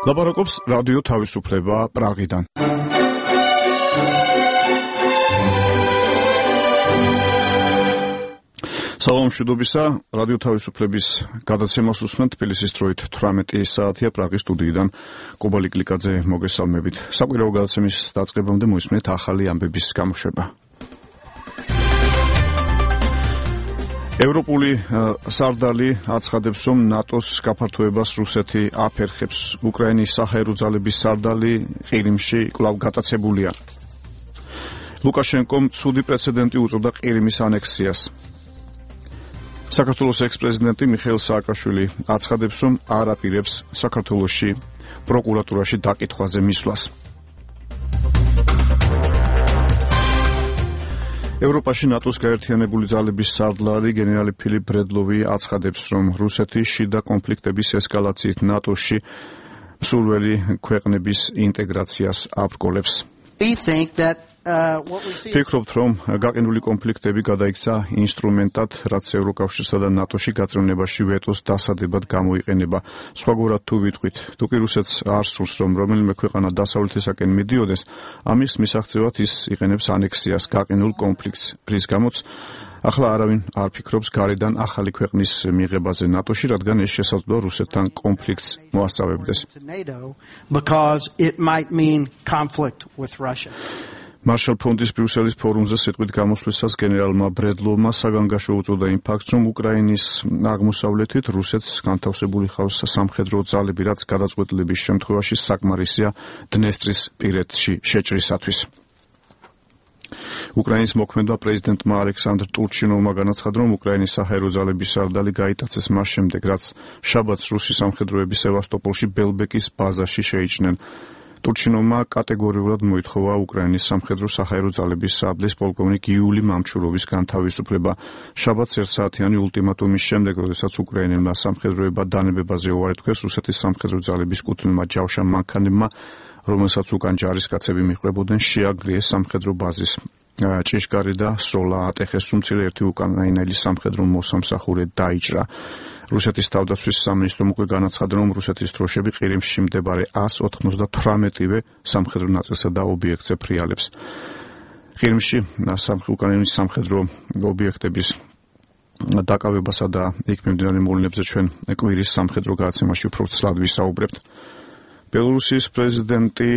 ლაპარაკობს რადიო თავისუფლება პრაღიდან. სალამ მშვიდობისა, რადიო თავისუფლების გადაცემას უსმენთ თბილისის დროით 18 საათია პრაღის სტუდიიდან კობალი კლიკაძე მოგესალმებით. საკვირაო გადაცემის დაწყებამდე მოისმენთ ახალი ამბების გამოშვება. ევროპული სარდალი აცხადებს, რომ ნატოს გაფართოებას რუსეთი აფერხებს. უკრაინის საჰაერო ძალების სარდალი ყირიმში კვლავ გატაცებულია. ლუკაშენკომ ცუდი პრეცედენტი უწოდა ყირიმის ანექსიას. საქართველოს ექს-პრეზიდენტი მიხეილ სააკაშვილი აცხადებს, რომ არ აპირებს საქართველოში პროკურატურაში დაკითხვაზე მისვლას. ევროპაში ნატოს გაერთიანებული ძალების სარდლარი გენერალი ფილიპ ბრედლოვი აცხადებს, რომ რუსეთი შიდა კონფლიქტების ესკალაციით ნატოში მსურველი ქვეყნების ინტეგრაციას აბრკოლებს. ფიქრობთ, რომ გაყინული კონფლიქტები გადაიქცა ინსტრუმენტად, რაც ევროკავშირსა და ნატოში გაწევნებაში ვეტოს დასადებად გამოიყენება. სხვაგვარად თუ ვიტყვით, თუ კი რუსეთს არ სურს, რომ რომელიმე ქვეყანა დასავლეთისაკენ მიდიოდეს, ამის მისაღწევად ის იყენებს ანექსიას გაყინულ კონფლიქტს, რის გამოც ახლა არავინ არ ფიქრობს გარედან ახალი ქვეყნის მიღებაზე ნატოში, რადგან ეს შესაძლოა რუსეთთან კონფლიქტს მოასწავებდეს. მარშალ ფონდის ბრიუსელის ფორუმზე სიტყვით გამოსვლისას გენერალმა ბრედლოვმა საგანგაშო უწოდა იმ ფაქტს, რომ უკრაინის აღმოსავლეთით რუსეთს განთავსებული ხავს სამხედრო ძალები, რაც გადაწყვეტილების შემთხვევაში საკმარისია დნესტრის პირეთში შეჭრისათვის. უკრაინის მოქმედმა პრეზიდენტმა ალექსანდრ ტურჩინოვმა განაცხადა, რომ უკრაინის საჰაერო ძალების სარდალი გაიტაცეს მას შემდეგ, რაც შაბათს რუსი სამხედროები სევასტოპოლში ბელბეკის ბაზაში შეიჭნენ. ტურჩინოვმა კატეგორიულად მოითხოვა უკრაინის სამხედრო საჰაერო ძალების სარდლის პოლკოვნიკ იული მამჩუროვის განთავისუფლება. შაბათს 1 საათიანი ულტიმატუმის შემდეგ, როდესაც უკრაინელმა სამხედროებმა დანებებაზე უარი თქვეს რუსეთის სამხედრო ძალების კუთვნილმა ჯავშა მანქანებმა, რომელსაც უკან ჯარისკაცები მიჰყვებოდნენ, შეაგრიეს სამხედრო ბაზის ჭიშკარი და სროლა ატეხეს, თუმცა ერთი უკრაინელი სამხედრო მოსამსახურე დაიჭრა. რუსეთის თავდაცვის სამინისტრომ უკვე განაცხადა, რომ რუსეთის დროშები ყირიმში მდებარე 198-ვე სამხედრო ნაწილსა და ობიექტზე ფრიალებს. ყირიმში უკრაინის სამხედრო ობიექტების დაკავებასა და იქ მიმდინარე მოვლენებზე ჩვენ კვირის სამხედრო გადაცემაში უფრო ცლად ვისაუბრებთ. ბელორუსიის პრეზიდენტი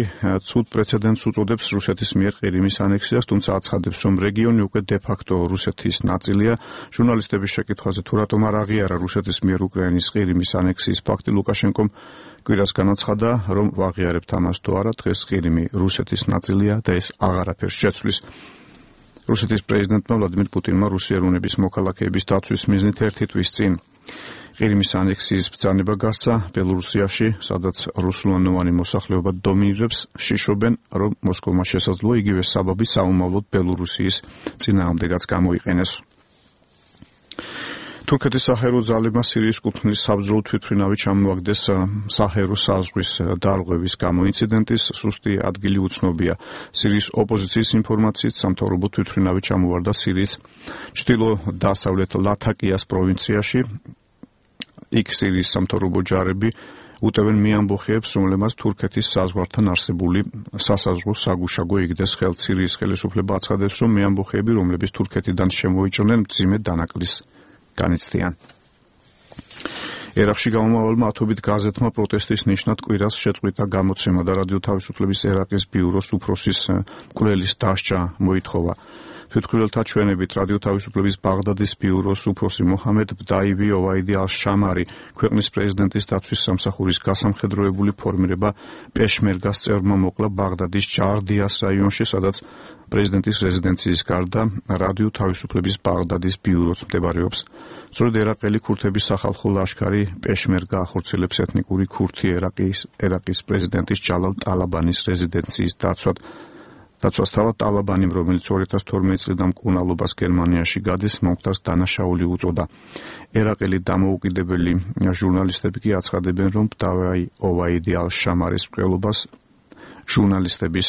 ცუდ პრეცედენტს უწოდებს რუსეთის მიერ ყირიმის ანექსიას, თუმცა აცხადებს, რომ რეგიონი უკვე დე-ფაქტო რუსეთის ნაწილია. ჟურნალისტების შეკითხვაზე თუ რატომ არ აღიარა რუსეთის მიერ უკრაინის ყირიმის ანექსიის ფაქტი, ლუკაშენკომ კვირას განაცხადა, რომ ვაღიარებთ ამას თუ არა, დღეს ყირიმი რუსეთის ნაწილია და ეს აღარაფერს შეცვლის. რუსეთის პრეზიდენტმა ვლადიმირ პუტინმა რუსიელუნების მოქალაქეების დაცვის მიზნით ერთი თვის წინ ყირიმის ანექსიის ბრძანება გასცა ბელორუსიაში, სადაც რუსულენოვანი მოსახლეობა დომინირებს, შიშობენ, რომ მოსკოვმა შესაძლოა იგივე საბაბი საომავლოდ ბელორუსიის წინააღმდეგაც გამოიყენეს. თურქეთის საჰაერო ძალებმა სირიის კუთვნილი საბრძოლო თვითმფრინავი ჩამოაგდეს საჰაერო საზღვრის დარღვევის გამო. ინციდენტის სუსტი ადგილი უცნობია. სირიის ოპოზიციის ინფორმაციით სამთავრობო თვითმფრინავი ჩამოვარდა სირიის ჩრდილო-დასავლეთ ლათაკიას პროვინციაში. იქ სირიის სამთავრობო ჯარები უტევენ მიამბოხეებს, რომლებმაც თურქეთის საზღვართან არსებული სასაზღვრო საგუშაგო იგდეს ხელთ. სირიის ხელისუფლება აცხადებს, რომ მიამბოხეები, რომლებიც თურქეთიდან შემოიჭრნენ, მძიმე დანაკლისს განიცდიან. ერაყში გამომავალმა ათობით გაზეთმა პროტესტის ნიშნად კვირას შეწყვიტა გამოცემა და რადიო თავისუფლების ერაყის ბიუროს უფროსის მკვლელის დასჯა მოითხოვა. თვითმკვლელთა ჩვენებით რადიო თავისუფლების ბაღდადის ბიუროს უფროსი მოჰამედ ბდაივი ოვაიდი ალ-შამარი ქვეყნის პრეზიდენტის დაცვის სამსახურის გასამხედროებული ფორმირება პეშმერგას წევრმა მოკლა ბაღდადის ჯარდიას რაიონში, სადაც პრეზიდენტის რეზიდენციის გარდა რადიო თავისუფლების ბაღდადის ბიუროც მდებარეობს. სწორედ ერაყელი ქურთების სახალხო ლაშქარი პეშმერგა ახორციელებს ეთნიკური ქურთი ერაყის პრეზიდენტის ჯალალ ტალაბანის რეზიდენციის დაცვასთავად ტალაბანიმ, რომელიც 2012 წლიდან მკურნალობას გერმანიაში გადის, მომხდარს დანაშაული უწოდა. ერაყელი დამოუკიდებელი ჟურნალისტები კი აცხადებენ, რომ ბდაივი ოვაიდი ალ-შამარის მკვლელობას ჟურნალისტების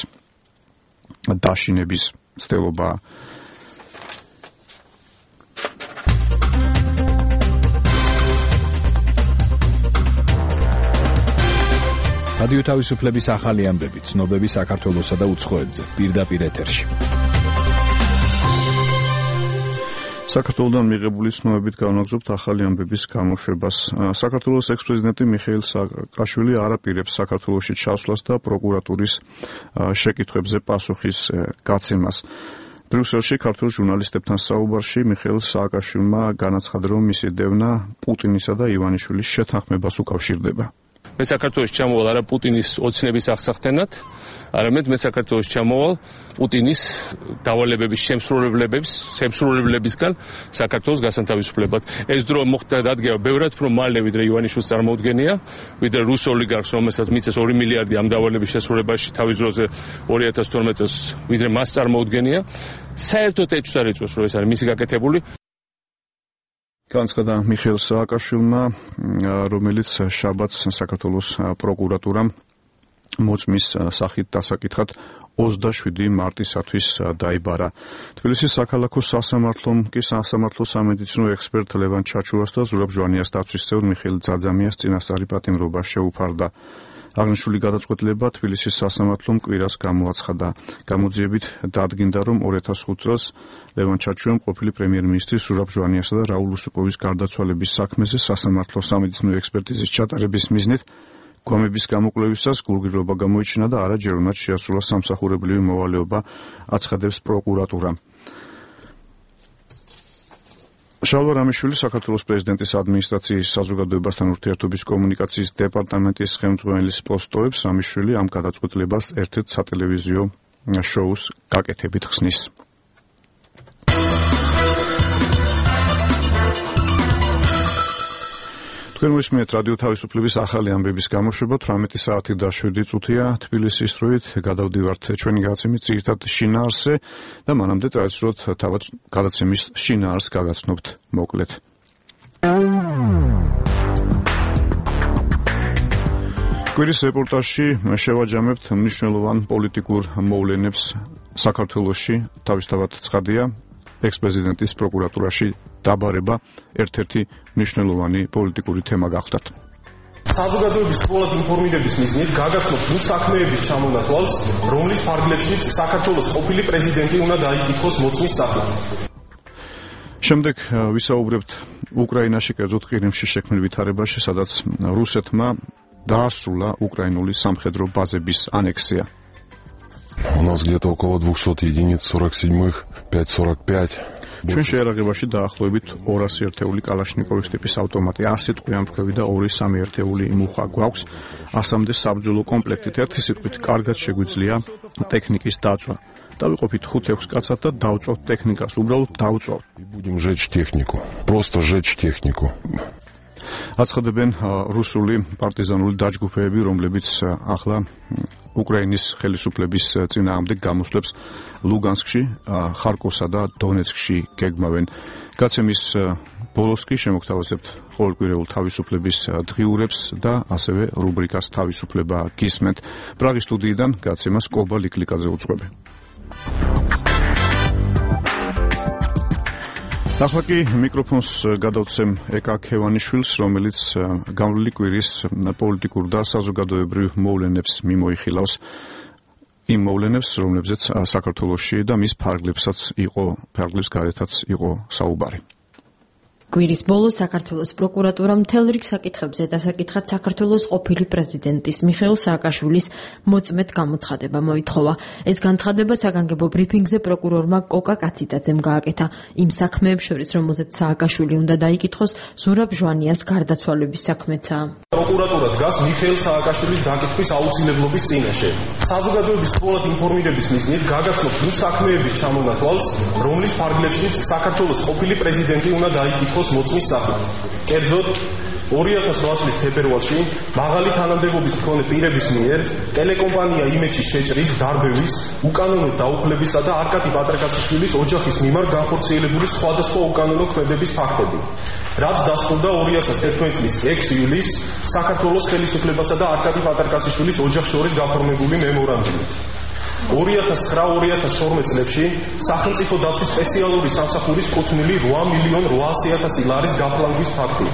დაშინების ცდილობაა. რადიო თავისუფლების ახალი ამბები, ცნობები საქართველოსა და უცხოეთზე, პირდაპირ ეთერში. საქართველოდან მიღებული ცნობებით განვაგრძობთ ახალი ამბების გამოშვებას. საქართველოს ექს-პრეზიდენტი მიხეილ სააკაშვილი არ აპირებს საქართველოში ჩასვლას და პროკურატურის შეკითხვებზე პასუხის გაცემას. ბრიუსელში ქართულ ჟურნალისტებთან საუბარში მიხეილ სააკაშვილმა განაცხადა, რომ მისი დევნა პუტინისა და ივანიშვილის შეთანხმებას უკავშირდება. მე საქართველოში ჩამოვალ არა პუტინის ოცნების აღსახდენად, არამედ მე საქართველოში ჩამოვალ პუტინის დავალებების შემსრულებლებისგან საქართველოს გასანთავისუფლებად. ეს დრო მოხდა დადგება ბევრად უფრო მალე, ვიდრე ივანიშვილს წარმოუდგენია, ვიდრე რუს ოლიგარქს, რომელსაც მიწეს 2 მილიარდი ამ დავალების შესრულებაში თავის დროზე 2012 წელს, ვიდრე მას წარმოუდგენია. საერთოდ ეჭვს არ ეწევს, რომ ეს არის მისი გაკეთებული. განაცხადა მიხეილ სააკაშვილმა, რომელიც შაბათს საქართველოს პროკურატურამ მოწმის სახით დასაკითხად 27 მარტისათვის დაიბარა. თბილისის საქალაქო სასამართლომ კი სასამართლო სამედიცინო ექსპერტ ლევან ჩაჩურას და ზურაბ ჟვანიას დაცვის წევრ მიხეილ ძაძამიას წინასწარი პატიმრობა შეუფარდა. აღნიშნული გადაწყვეტილება თბილისის სასამართლომ კვირას გამოაცხადა. გამოძიებით დადგინდა, რომ 2005 წელს ლევან ჩაჩურამ ყოფილი პრემიერ-მინისტრის ზურაბ ჟვანიასა და რაულ უსუპოვის გარდაცვალების საქმეზე სასამართლო სამედიცინო ექსპერტიზის ჩატარების მიზნით გვამების გამოკვლევისას გულგრილობა გამოიჩინა და არაჯერუნად შეასრულა სამსახურებრივი მოვალეობა, აცხადებს პროკურატურა. შალვა რამიშვილი საქართველოს პრეზიდენტის ადმინისტრაციის საზოგადოებასთან ურთიერთობის კომუნიკაციის დეპარტამენტის ხელმძღვანელის პოსტოებს რამიშვილი ამ გადაწყვეტილებას ერთ-ერთ სატელევიზიო შოუს გაკეთებით ხსნის. თქვენ მისმენთ რადიო თავისუფლების ახალი ამბების გამოშვება 18 საათი და 7 წუთია თბილისის დროით. გადავდივართ ჩვენი გადაცემის ძირითად შინაარსზე და მანამდე ტრადიციულად თავად გადაცემის შინაარსს გაგაცნობთ მოკლედ. კვირის რეპორტაჟში შევაჯამებთ მნიშვნელოვან პოლიტიკურ მოვლენებს საქართველოში. თავისთავად ცხადია, ექს-პრეზიდენტის პროკურატურაში დაბარება ერთ-ერთი მნიშვნელოვანი პოლიტიკური თემა გახდათ. საზოგადოების სრულად ინფორმირების მიზნით გაგაცნობთ იმ საქმეების ჩამონათვალს, რომლის ფარგლებშიც საქართველოს ყოფილი პრეზიდენტი უნდა დაიკითხოს მოწმის სახით. შემდეგ ვისაუბრებთ უკრაინაში, კერძოდ ყირიმში შექმნილ ვითარებაში, სადაც რუსეთმა დაასრულა უკრაინული სამხედრო ბაზების ანექსია. У нас где-то около 200 единиц 47-х, 5.45. ჩვენ შეერაღებაში დაახლოებით 200 ერთეული კალაშნიკოვის ტიპის ავტომატი, 100 ტყვიამფრქვევი და 2-3 ერთეული მუხა გვაქვს, 100-მდე საბრძოლო კომპლექტით. ერთი სიტყვით, კარგად შეგვიძლია ტექნიკის დაწვა. დავიყოფით 5-6 კაცად და დავწვავთ ტექნიკას, უბრალოდ დავწვავთ. Будем жечь технику. Просто жечь технику. აცხადებენ რუსული პარტიზანული დაჯგუფებები, რომლებიც ახლა უკრაინის ხელისუფლების წინააღმდეგ გამოსვლებს ლუგანსკში, ხარკოვსა და დონეცკში გეგმავენ. გაცემის ბოლოს კი შემოგთავაზებთ ყოველკვირეულ თავისუფლების დღიურებს და ასევე რუბრიკას თავისუფლება გისმენთ. პრაღის სტუდიიდან გაცემას კობა ლიკლიკაძე უძღვები. ახლა კი მიკროფონს გადავცემ ეკა ქევანიშვილს, რომელიც გამვლელი კვირის პოლიტიკურ და საზოგადოებრივ მოვლენებს მიმოიხილავს. იმ მოვლენებს, რომლებზეც საქართველოში და მის ფარგლებს გარეთაც იყო საუბარი. კვირის ბოლოს საქართველოს პროკურატურამ მთელ რიგ საკითხებზე დასაკითხად საქართველოს ყოფილი პრეზიდენტის მიხეილ სააკაშვილის მოწმედ გამოცხადება მოითხოვა. ეს განცხადება საგანგებო ბრიფინგზე პროკურორმა კოკა კაციდაძემ გააკეთა. იმ საქმეებს შორის, რომელზეც სააკაშვილი უნდა დაიკითხოს, ზურაბ ჟვანიას გარდაცვალების საქმეცა. პროკურატურა დგას მიხეილ სააკაშვილის დაკითხვის აუცილებლობის წინაშე. საზოგადოების სრულად ინფორმირების მიზნით გაგაცნობთ იმ საქმეების ჩამონათვალს, რომლის ფარგლებშიც საქართველოს ყოფილი პრეზიდენტი უნდა დაიკითხოს მოწმის სახით. კერძოდ 2008 წლის თებერვალში მაღალი თანამდებობის მქონე პირების მიერ ტელეკომპანია იმეჩის შეჭრის, დარბევის, უკანონო დაუხლებისა და არკატი პატრიკაციშვილის ოჯახის მიმართ განხორციელებული სხვადასხვა უკანონო ქმედების ფაქტები. რაც დასრულდა 2011 წლის 6 ივლისს საქართველოს ხელისუფლებასა და არკატი პატრიკაციშვილის ოჯახს შორის გაფორმებული მემორანდუმით. 2009-2012 წლებში სახელმწიფო დაცვის სპეციალური სამსახურის კუთვნილი 8,800,000 ლარის გაფლანგვის ფაქტი.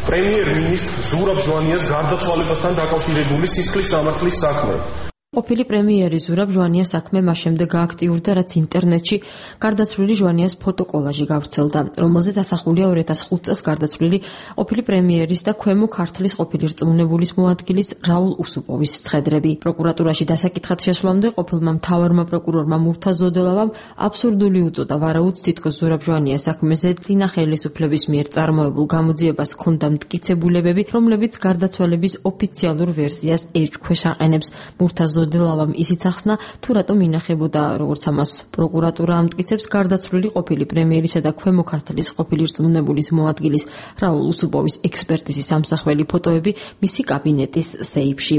პრემიერ-მინისტრ ზურაბ ჟვანიას გარდაცვალებასთან დაკავშირებული სისხლის სამართლის საქმე. ყოფილი პრემიერი ზურაბ ჟვანიას საქმე მას შემდეგ გააქტიურდა, რაც ინტერნეტში გარდაცვლილი ჟვანიას ფოტოკოლაჟი გავრცელდა, რომელზეც ასახულია 2005 წელს გარდაცვლილი ყოფილი პრემიერის და ქვემო ქართლის ყოფილი რწმუნებულის მოადგილის რაულ უსუპოვის ცხედრები. პროკურატურაში დასაკითხად შესვლამდე ყოფილმა მთავარმა პროკურორმა მურთაზ ზოდელავამ აბსურდული უწოდა, ვარაუდს თითქოს ზურაბ ჟვანიას საქმეზე წინა ხელისუფლების მიერ წარმოებულ გამოძიებას ჰქონდა მტკიცებულებები, რომლებიც გარდაცვალების ოფიციალურ ვერსიას ეჭქვეშ აყენებს. მურთაზ ზოდელავამ ისიც ახსნა, თუ რატომ ინახებოდა, როგორც ამას პროკურატურა ამტკიცებს, გარდაცვლილი ყოფილი პრემიერისა და ქვემო ქართლის ყოფილი რწმუნებულის მოადგილის რაულ უსუპოვის ექსპერტიზის ამსახველი ფოტოები მისი კაბინეტის სეიფში.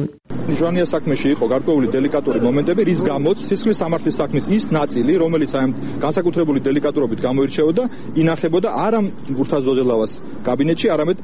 ჟვანიას საქმეში იყო გარკვეული დელიკატური მომენტები, რის გამოც სისხლის სამართლის საქმის ის ნაწილი, რომელიც აი განსაკუთრებული დელიკატურობით გამოირჩეოდა, ინახებოდა არა მურთაზ ზოდელავას კაბინეტში, არამედ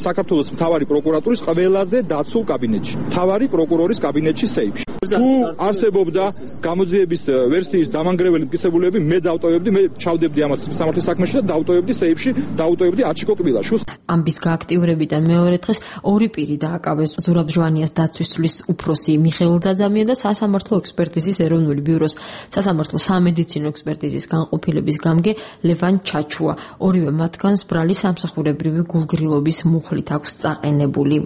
საქართველოს მთავარი პროკურატურის ყველაზე დაცულ კაბინეტში, მთავარი პროკურორის კაბინეტში სეიფში. თუ არსებობდა გამოძიების ვერსიის დამანგრეველი მტკიცებულებები, მე დავტოვებდი, მე ჩავდებდი ამას სამართლის საქმეში და დავტოვებდი სეიფში, დავტოვებდი აჩიკო კბილაშვილს. ამბის გააქტიურებიდან მეორე დღეს ორი პირი დააკავეს ზურაბ ჟვანიას დაცვისლის უფროსი მიხეილ ძაძამია და სასამართლო ექსპერტიზის ეროვნული ბიუროს სასამართლო სამედიცინო ექსპერტიზის განყოფილების გამგე ლევან ჩაჩუა. ორივე მათგანს ბრალი სამსახურებრივი გულგრილობის მუხლით აქვს წაყენებული.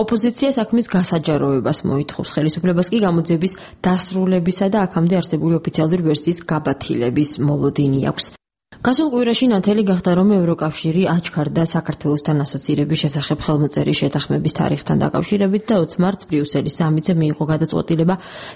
ოპოზიცია საქმის გასაჯაროებას მოითხოვს, ხელისუფლებას კი გამოძიების დასრულებისა და აქამდე არსებული ოფიციალური ვერსიის გაბათილების მოლოდინი აქვს. გასულ კვირაში ნათელი გახდა, რომ ევროკავშირი აჩქარდა საქართველოსთან ასოცირების შესახებ ხელმოწერის შეთანხმების თარიღთან დაკავშირებით და 20 მარტს ბრიუსელის სამიტზე მიიღო გადაწყვეტილება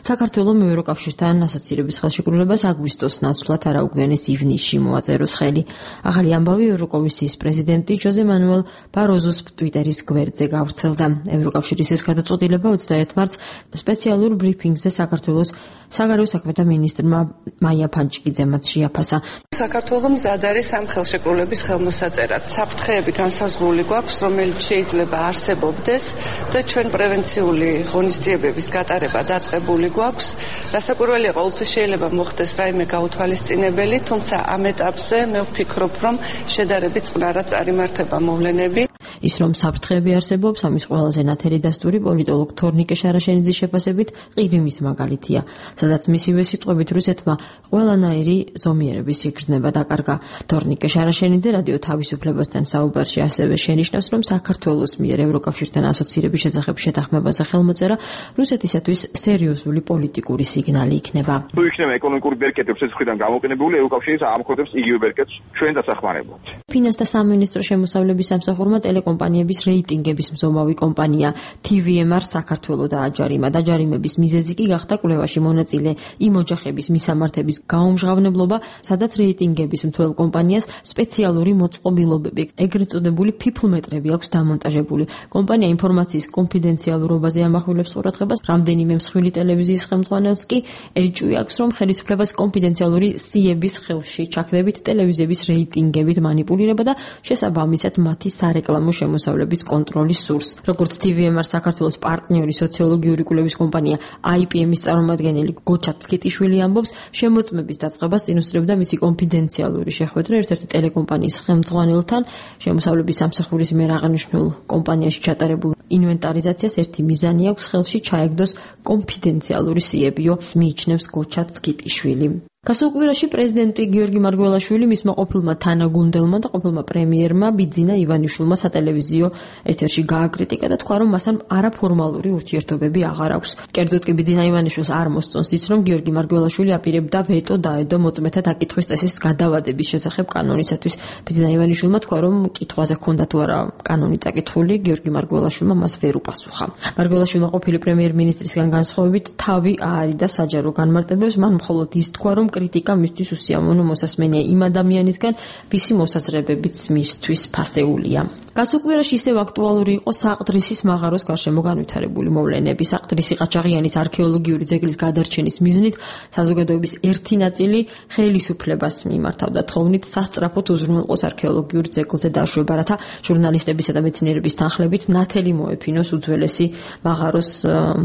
საქართველოს ევროკავშირთან ასოცირების ხელშეკრულებას აგვისტოს ნაცვლად არაუგვიანეს ივნისში მოაწეროს ხელი. ახალი ამბავი ევროკომისიის პრეზიდენტი ჟოზე მანუელ ბაროზოს ტვიტერის გვერდზე გავრცელდა. ევროკავშირის ეს გადაწყვეტილება 21 მარტს სპეციალურ ბრიფინგზე საქართველოს საგარეო საქმეთა მინისტრმა მაია ფანჩიკიძემაც შეაფასა. საქართველოს მზად არის ამ ხელშეკრულების ხელმოსაწერად. საფრთხეები განსაზღვრული გვაქვს, რომელიც შეიძლება არსებობდეს და ჩვენ პრევენციული ღონისძიებების გატარება დაწყებული გვაქვს. რასაკვირველია, ყოველთვის შეიძლება მოხდეს რაიმე გაუთვალისწინებელი, თუმცა ამ ეტაპზე მე ვფიქრობ, რომ შედარებით წყნარად წარიმართება მოვლენები. ის რომ საფრთხეები არსებობს, ამის ყველაზე ნათელი დასტური პოლიტოლოგ თორნიკე შარაშენიძის შეფასებით ყირიმის მაგალითია, სადაც მისივე სიტყვებით რუსეთმა ყველანაირი ზომიერების სიგრძნება დაკარგა. თორნიკე შარაშენიძე რადიო თავისუფლებასთან საუბარში ასევე შენიშნავს, რომ საქართველოს მიერ ევროკავშირთან ასოცირების შესახებ შეთანხმებაზე ხელმოწერა რუსეთისათვის სერიოზული პოლიტიკური სიგნალი იქნება. თუ იქნება ეკონომიკური ბერკეტი რუსეთის მხრიდან გამოკენებული, ევროკავშირი ამხდებს იგივე ბერკეტს ჩვენ დასახმარებლად. ფინანსთა სამინისტრო შემოსავლების სამსახურმა ტელეკომპანიების რეიტინგების მზომავი კომპანია TVMR საქართველოს დააჯარიმა. დაჯარიმების მიზეზი კი გახდა კვლევაში მონაწილე იმ ოჯახების მისამართების გაუმჟღავნებლობა, სადაც რეიტინგების მთელ კომპანიას სპეციალური მოწყობილობები, ეგრეთ წოდებული ფიფლმეტრები აქვს დამონტაჟებული. კომპანია ინფორმაციის კონფიდენციალურობაზე ამახვილებს ყურადღებას, რამდენიმე მსხვილი ტელევიზიის ხელმძღვანელს კი ეჭვი აქვს, რომ ხელისუფლებას კონფიდენციალური სიების ხელში ჩაქდებით ტელევიზიების რეიტინგებით მანიპულირება და შესაბამისად მათი სარეკლამო შემოსავლების კონტროლის სურს. როგორც TVMR საქართველოს პარტნიორი სოციოლოგიური კვლევის კომპანია IPM-ის წარმომადგენელი გოჩა ცკიტიშვილი ამბობს, შემოწმების დაწყებას წინ უსწრებდა მისი კონფიდენციალური შეხვედრა ერთ-ერთი ტელეკომპანიის ხელმძღვანელთან. შემოსავლების სამსახურის მიერ აღნიშნულ კომპანიაში ჩატარებულ ინვენტარიზაციას ერთი მიზანი აქვს, ხელში ჩაეგდოს კონფიდენციალური სიებიო, მიიჩნევს გოჩა ცკიტიშვილი. გასულ კვირაში პრეზიდენტი გიორგი მარგველაშვილი მისმა ყოფილმა თანაგუნდელმა და ყოფილმა პრემიერმა ბიძინა ივანიშვილმა სატელევიზიო ეთერში გააკრიტიკა და თქვა, რომ მასთან არაფორმალური ურთიერთობები აღარ აქვს. კერძოდ კი ბიძინა ივანიშვილს არ მოსწონს ის, რომ გიორგი მარგველაშვილი აპირებდა ვეტო დაედო მოწმეთა დაკითხვის წესის გადავადების შესახებ კანონისათვის. ბიძინა ივანიშვილმა თქვა, რომ კითხვაზე ჰქონდა თუ არა კანონი წაკითხული, გიორგი მარგველაშვილმა მას ვერ უპასუხა. მარგველაშვილმა ყოფილი პრემიერ-მინისტრისგან განსხვავებით თავი აარიდა საჯარო განმარტებებს, მან მხოლოდ ის თქვა, რომ კრიტიკა მისთვის უსიამოვნო მოსასმენია იმ ადამიანისგან, ვისი მოსაზრებებიც მისთვის ფასეულია. გასულ კვირაში ისევ აქტუალური იყო საყდრისის მაღაროს გარშემო განვითარებული მოვლენები. საყდრისი ყაჩაღიანის არქეოლოგიური ძეგლის გადარჩენის მიზნით საზოგადოების ერთი ნაწილი ხელისუფლებას მიმართავდა თხოვნით სასწრაფოდ უზრუნველყოს არქეოლოგიურ ძეგლზე დაშვება, რათა ჟურნალისტებისა და მეცნიერების თანხლებით ნათელი მოეფინოს უძველესი მაღაროს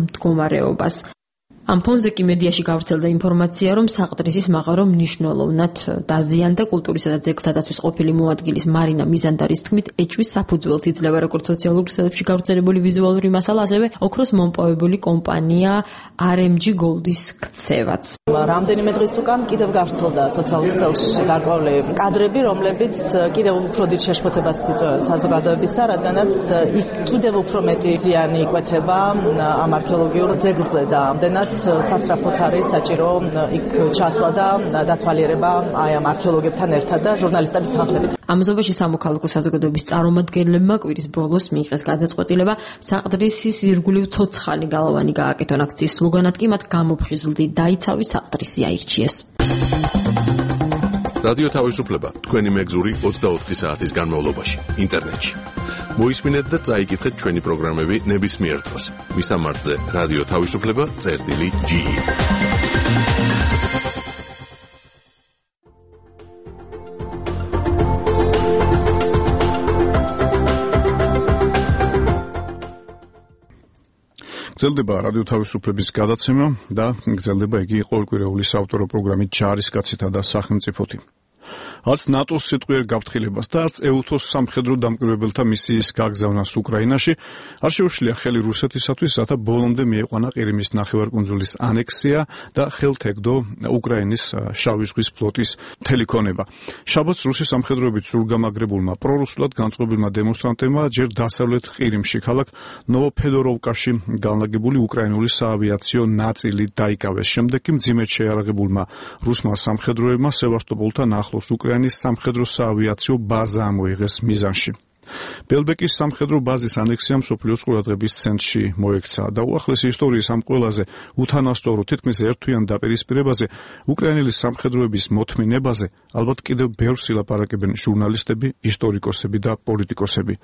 მდგომარეობას. ამ ფონზე კი მედიაში გავრცელდა ინფორმაცია, რომ საყდრისის მაღარო მნიშვნელოვნად დაზიანდა. კულტურისა და ძეგლთა დაცვის ყოფილი მოადგილის მარინა მიზანდარის თქმით, ეჭვის საფუძველს იძლევა როგორც სოციალურ ქსელებში გავრცელებული ვიზუალური მასალა, ასევე ოქროს მომპოვებული კომპანია RMG Gold-ის ქცევაც. რამდენიმე დღის უკან კიდევ გავრცელდა სოციალურ ქსელში გარკვეული კადრები, რომლებიც კიდევ უფრო დიდ შეშფოთებას იწვევენ საზოგადოებისა, რადგანაც იქ კიდევ უფრო მეტი ზიანი იკვეთება ამ არქეოლოგიურ ძეგლზე და ამდენად სასწრაფოდ არის საჭირო იქ ჩასვლა და დათვალიერება აი ამ არქეოლოგებთან ერთად და ჟურნალისტების თანხლებით. ამზობაში სამოქალაქო საზოგადოების წარმომადგენლებმა კვირის ბოლოს მიიღეს გადაწყვეტილება საყდრისის ირგვლივ ცოცხალი გალავანი გააკეთონ. აქციის სლოგანად კი მათ გამოფხიზლდი დაიცავი საყდრისი აირჩიეს. რადიო თავისუფლება თქვენი მეგზური 24 საათის განმავლობაში ინტერნეტში. მოისმინეთ და წაიკითხეთ ჩვენი პროგრამები ნებისმიერ დროს. მისამართზე რადიო თავისუფლება.ge გრძელდება რადიო თავისუფლების გადაცემა და გრძელდება იგი ყოველკვირეული საავტორო პროგრამით ჯარისკაცითა და სახელმწიფოთი. არც ნატოს სიტყვიერ გაფრთხილებას და არც ეუთოს სამხედრო დამკვირვებელთა მისიის გაგზავნას უკრაინაში არ შეუშლია ხელი რუსეთისათვის, რათა ბოლომდე მieყვანა ყირიმის ნახევარკუნძულის ანექსია და ხელთეგდო უკრაინის შავი ზღვის ფლოტის მთელი ქონება. შაბათს რუსის სამხედროებით სრულგამაგრებულმა პრორუსულად განწყობილმა დემონსტრანტებმა ჯერ დასავლეთ ყირიმში ქალაქ ნოვოფედოროვკაში განლაგებული უკრაინული საავიაციო ნაწილი დაიკავეს. შემდეგ კი მძიმედ შეიარაღებულმა რუსმა სამხედროებმა სევასტოპოლთან ახლოს უკრაინის სამხედრო საავიაციო ბაზა ამოიღეს მიზანში. ბელბეკის სამხედრო ბაზის ანექსია მსოფლიოს ყურადღების ცენტრში მოექცა და უახლესი ისტორიის ამ ყველაზე უთანასწორო თითქმის ერთთვიან დაპირისპირებაზე უკრაინელი სამხედროების მოთმინებაზე ალბათ კიდევ ბევრს ილაპარაკებენ ჟურნალისტები, ისტორიკოსები და პოლიტიკოსები.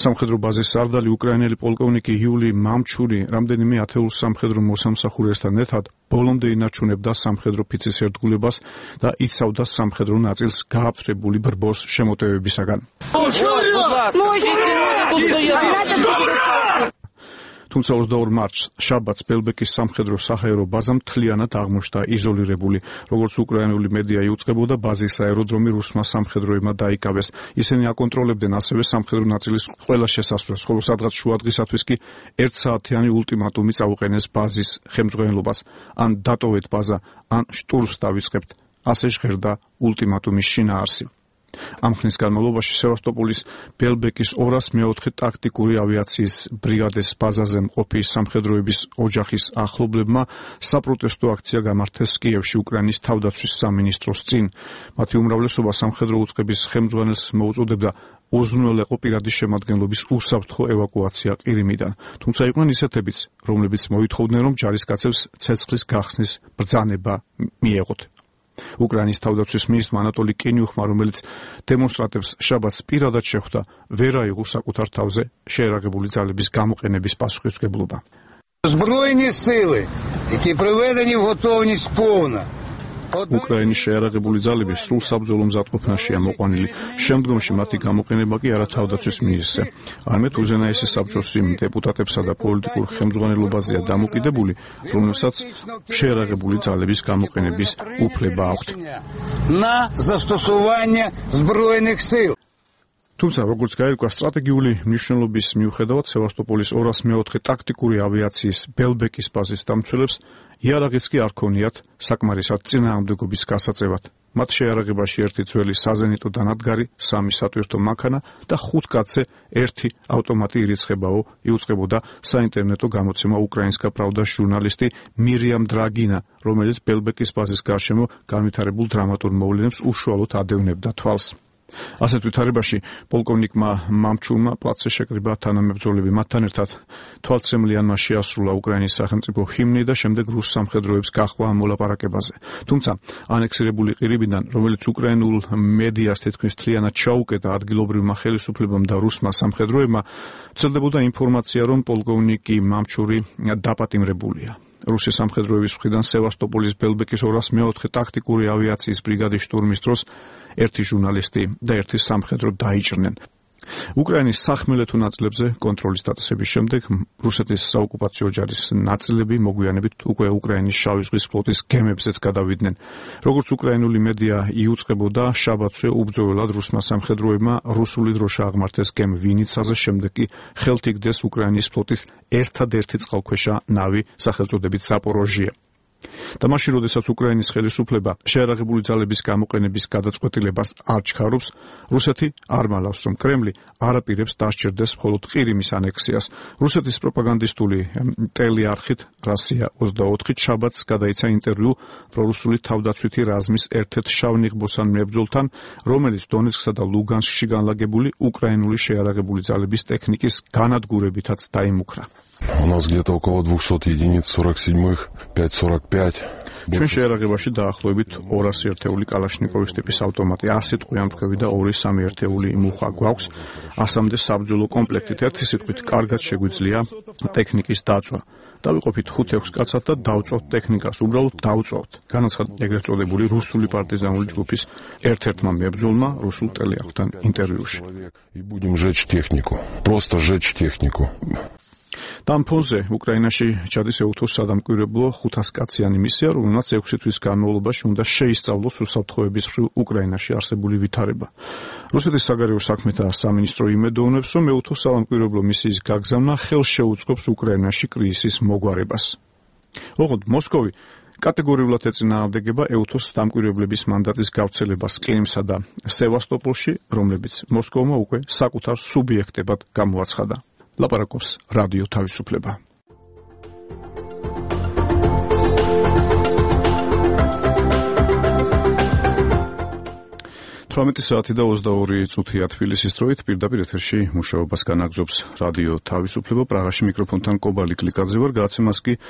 სამხედრო ბაზის სარდალი უკრაინელი პოლკოვნიკი იული მამჩური რამდენიმე ათეულ სამხედრო მოსამსახურესთან ერთად ბოლომდე ინარჩუნებდა სამხედრო ფიცის ერთგულებას და იცავდა სამხედრო ნაწილს გააფთრებული ბრბოს შემოტევებისაგან. თუმცა 22 მარტს შაბათს ბელბეკის სამხედრო საჰაერო ბაზა მთლიანად აღმოჩნდა იზოლირებული. როგორც უკრაინული მედია იუწყებოდა, ბაზის აეროდრომი რუსმა სამხედროებმა დაიკავეს. ისინი აკონტროლებდნენ ასევე სამხედრო ნაწილის ყველა შესასვლელს, ხოლო სადღაც შუადღისათვის კი 1 საათიანი ულტიმატუმი წაუყენეს ბაზის ხელმძღვანელობას. ან დატოვეთ ბაზა, ან შტურმს დავიწყებთ. ასე ჟღერდა ულტიმატუმის შინაარსი. ამ ხნის განმავლობაში სევასტოპოლის ბელბეკის 204 ტაქტიკური ავიაციის ბრიგადეს ბაზაზე მყოფი სამხედროების ოჯახის ახლობლებმა საპროტესტო აქცია გამართეს კიევში უკრაინის თავდაცვის სამინისტროს წინ. მათი უმრავლესობა სამხედრო უწყების ხელმძღვანელს მოუწოდებდა უზრუნველყო პირადი შემადგენლობის უსაფრთხო ევაკუაცია ყირიმიდან. თუმცა იყვნენ ისეთებიც, რომლებიც მოითხოვდნენ, რომ ჯარისკაცებს ცეცხლის გახსნის ბრძანება მიეღოთ. უკრაინის თავდაცვის მინისტრმა ანატოლი კინიუხმა, რომელიც დემონსტრანტებს შაბათს პირადად შეხვდა, ვერ აიღო საკუთარ თავზე შეერაღებული ძალების გამოყენების პასუხისმგებლობა. Збройні сили, які приведені в готовність повна. უკრაინის შეერაღებული ძალები სულ საბრძოლო მზადყოფნაშია მოყვანილი. შემდგომში მათი გამოყენება კი არა თავდაცვის მინისტრზე, არამედ უზენაესი საბჭოს იმ დეპუტატებსა და პოლიტიკურ ხელმძღვანელობაზეა დამოკიდებული, რომელსაც შეერაღებული ძალების გამოყენების უფლება აქვთ. На застосування збройних сил. თუმცა, როგორც გაირკვა, სტრატეგიული მნიშვნელობის მიუხედავად სევასტოპოლის 204 ტაქტიკური ავიაციის ბელბეკის ბაზის დამცველებს იარაღიც კი არ ქონიათ საკმარისად წინააღმდეგობის გასაწევად. მათ შეიარაღებაში 1 ძველი საზენიტო დანადგარი, 3 სატვირთო მანქანა და 5 კაცზე 1 ავტომატი ირიცხებაო, იუწყებოდა საინტერნეტო გამოცემა უკრაინსკა პრავდას ჟურნალისტი მირიამ დრაგინა, რომელიც ბელბეკის ბაზის გარშემო განვითარებულ დრამატურ მოვლენებს უშუალოდ ადევნებდა თვალს. ასეთ ვითარებაში პოლკოვნიკმა მამჩურმა პლაცზე შეკრიბა თანამებრძოლები. მათთან ერთად თვალცრემლიანმა შეასრულა უკრაინის სახელმწიფო ჰიმნი და შემდეგ რუს სამხედროებს გაჰყვა ამ მოლაპარაკებაზე. თუმცა ანექსირებული ყირიმიდან, რომელიც უკრაინულ მედიას თითქმის მთლიანად ჩაუკეტა ადგილობრივმა ხელისუფლებამ და რუსმა სამხედროებმა, ვრცელდებოდა ინფორმაცია, რომ პოლკოვნიკი მამჩური დაპატიმრებულია. რუსის სამხედროების მხრიდან სევასტოპოლის ბელბეკის 204 ტაქტიკური ავიაციის ბრიგადის შტურმის დროს 1 ჟურნალისტი და 1 სამხედრო დაიჭრნენ. უკრაინის სახმელეთო ნაწილებზე კონტროლის დაწესების შემდეგ რუსეთის საოკუპაციო ჯარის ნაწილები მოგვიანებით უკვე უკრაინის შავი ზღვის ფლოტის გემებზეც გადავიდნენ. როგორც უკრაინული მედია იუწყებოდა, შაბათზე უბრძოლველად რუსმა სამხედროებმა რუსული დროშა აღმართეს გემ ვინიცაზე, შემდეგ კი ხელთ იგდეს უკრაინის ფლოტის ერთადერთი წყალქვეშა ნავი სახელწოდებით ზაპოროჟია. და მაშინ, როდესაც უკრაინის ხელისუფლება შეიარაღებული ძალების გამოყენების გადაწყვეტილებას არ ჩქარობს, რუსეთი არ მალავს, რომ კრემლი არ აპირებს დასჭირდეს მხოლოდ ყირიმის ანექსიას. რუსეთის პროპაგანდისტული ტელეარხით Россия 24 შაბათს გადაიცა ინტერვიუ პრორუსული თავდაცვითი რაზმის ერთ-ერთ შავნიღბოსან მებრძოლთან, რომელიც დონეცკსა და ლუგანსკში განლაგებული უკრაინული შეიარაღებული ძალების ტექნიკის განადგურებითაც დაიმუქრა. У нас где-то около 200 единиц 47-х, 5.45. ჩვენ შეიარაღებაში დაახლოებით 200 ერთეული კალაშნიკოვის ტიპის ავტომატი, 100 ტყვიან მტკვევი და 2-3 ერთეული მუხა გვაქვს, 100-მდე საბრძოლო კომპლექტით. ერთი სიტყვით, კარგად შეგვიძლია ტექნიკის დაწვა. დავიყოფით 5-6 კაცად და დავწვავთ ტექნიკას, უბრალოდ დავწვავთ. განაცხადა ეგრეთ წოდებული რუსული პარტიზანული ჯგუფის ერთ-ერთმა მებრძოლმა რუსულ ტელეარხთან ინტერვიუში. И будем жечь технику. Просто жечь технику. Там ფონზე უკრაინაში ჩადის EUTOS სადამკვირვებლო 500 კაციანი მისია, რომელმაც 6 თვის განმავლობაში უნდა შეისწავლოს უსაფრთხოების მხრივ უკრაინაში არსებული ვითარება. რუსეთის საგარეო საქმეთა სამინისტრო იმედოვნებს, რომ EUTOS სადამკვირვებლო მისიის გაგზავნა ხელს შეუწყობს უკრაინაში კრიზისის მოგვარებას. ოღონდ მოსკოვი კატეგორიულად ეწინააღმდეგება EUTOS დამკვირვებლების მანდატის გავრცელებას ყირიმსა და სევასტოპოლში, რომლებიც მოსკოვმა უკვე საკუთარ სუბიექტებად გამოაცხადა. ლაპარაკობს რადიო თავისუფლება. 18 საათი და 22 წუთია თბილისის დროით, პირდაპირ ეთერში მუშაობას განაგრძობს რადიო თავისუფლება. პრაღაში მიკროფონთან კობალი კლიკაძე ვარ, გადაცემას კი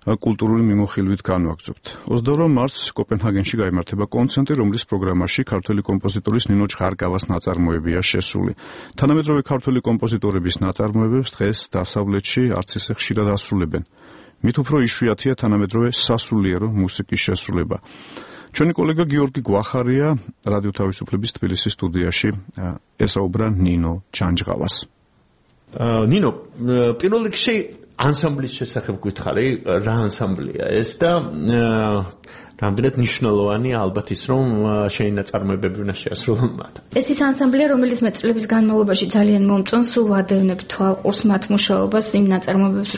კულტურული მიმოხილვით განვაგრძობთ. 22 მარტს კოპენჰაგენში გაიმართება კონცერტი, რომლის პროგრამაში ქართველი კომპოზიტორის ნინო ჩხარკავას ნაწარმოებია შესული. თანამედროვე ქართველი კომპოზიტორების ნაწარმოებებს დღეს დასავლეთში არც ისე ხშირად ასრულებენ. მით უფრო იშვიათია თანამედროვე სასულიერო მუსიკის შესრულება. ჩვენი კოლეგა გიორგი გვახარია რადიო თავისუფლების თბილისის სტუდიაში ესაუბრა ნინო ჩანჯღავას. ნინო, პირველ რიგში ანსამბლის შესახებ გითხარი, რა ანსამბლია ეს და რამდენად მნიშვნელოვანი ალბათ ის, რომ შენი ნაწარმოებები უნდა შეასრულონ მათ. ეს ის ანსამბლია, რომელიც მე წლების განმავლობაში ძალიან მომწონს, სულ ვადევნებ თვალყურს მათ მუშაობას, იმ ნაწარმოებებს,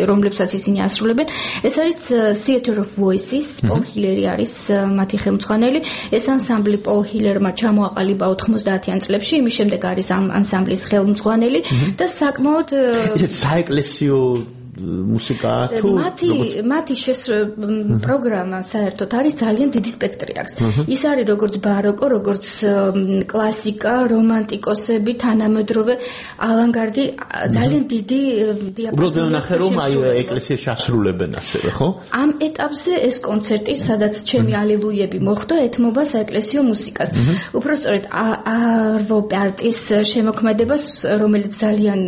რომლებსაც ისინი ასრულებენ. ეს არის Theater of Voices, პოლ ჰილერი არის მათი ხელმძღვანელი. ეს ანსამბლი პოლ ჰილერმა ჩამოაყალიბა 90-იან წლებში, იმის შემდეგ არის ამ ანსამბლის ხელმძღვანელი და საკმაოდ ისეთ საეკლესიო მუსიკა თუ მათი პროგრამა საერთოდ არის ძალიან დიდი სპექტრი აქვს. ის არის როგორც ბაროკო, როგორც კლასიკა, რომანტიკოსები, თანამედროვე ავანგარდი, ძალიან დიდი დიაპაზონი. უბრალოდ ნახე რომ აი ეკლესიაში ასრულებენ ასევე, ხო? ამ ეტაპზე ეს კონცერტი, სადაც ჩემი ალილუიები მოხვდა, ეთმობა საეკლესიო მუსიკას. უბრალოდ არვო პარტის შემოქმედებას, რომელიც ძალიან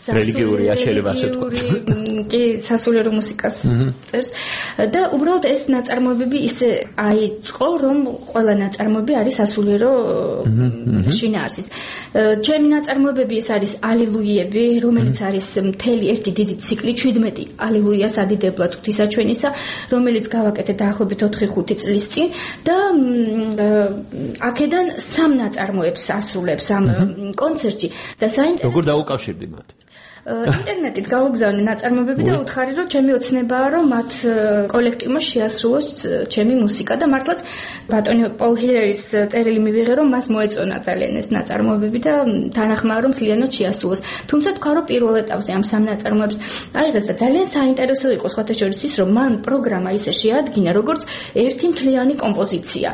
რელიგიურია, შეიძლება ასე ვთქვათ. კი, სასულიერო მუსიკას წერს და უბრალოდ ეს ნაწარმოებები ისე აიწყო, რომ ყველა ნაწარმოები არის სასულიერო შინაარსის. ჩემი ნაწარმოებები ეს არის ალილუიები, რომელიც არის მთელი ერთი დიდი ციკლი, 17 ალილუიას ადიდებლად ღვთისაჩვენისა, რომელიც გავაკეთე დაახლოებით 4-5 წლის წინ და აქედან 3 ნაწარმოებს ასრულებს ამ კონცერტში და საინტერესო როგორ დაუკავშირდი მათ? ინტერნეტით გავუგზავნე ნაწარმოებები და უთხარი, რომ ჩემი ოცნებაა, რომ მათ კოლექტივმა შეასრულოს ჩემი მუსიკა და მართლაც ბატონი პოლ ჰილერის წერილი მივიღე, რომ მას მოეწონა ძალიან ეს ნაწარმოებები და თანახმაა, რომ მთლიანად შეასრულოს. თუმცა თქვა, რომ პირველ ეტაპზე ამ 3 ნაწარმოებს აიღეს და ძალიან საინტერესო იყო სხვათა შორის ის, რომ მან პროგრამა ისე შეადგინა, როგორც ერთი მთლიანი კომპოზიცია.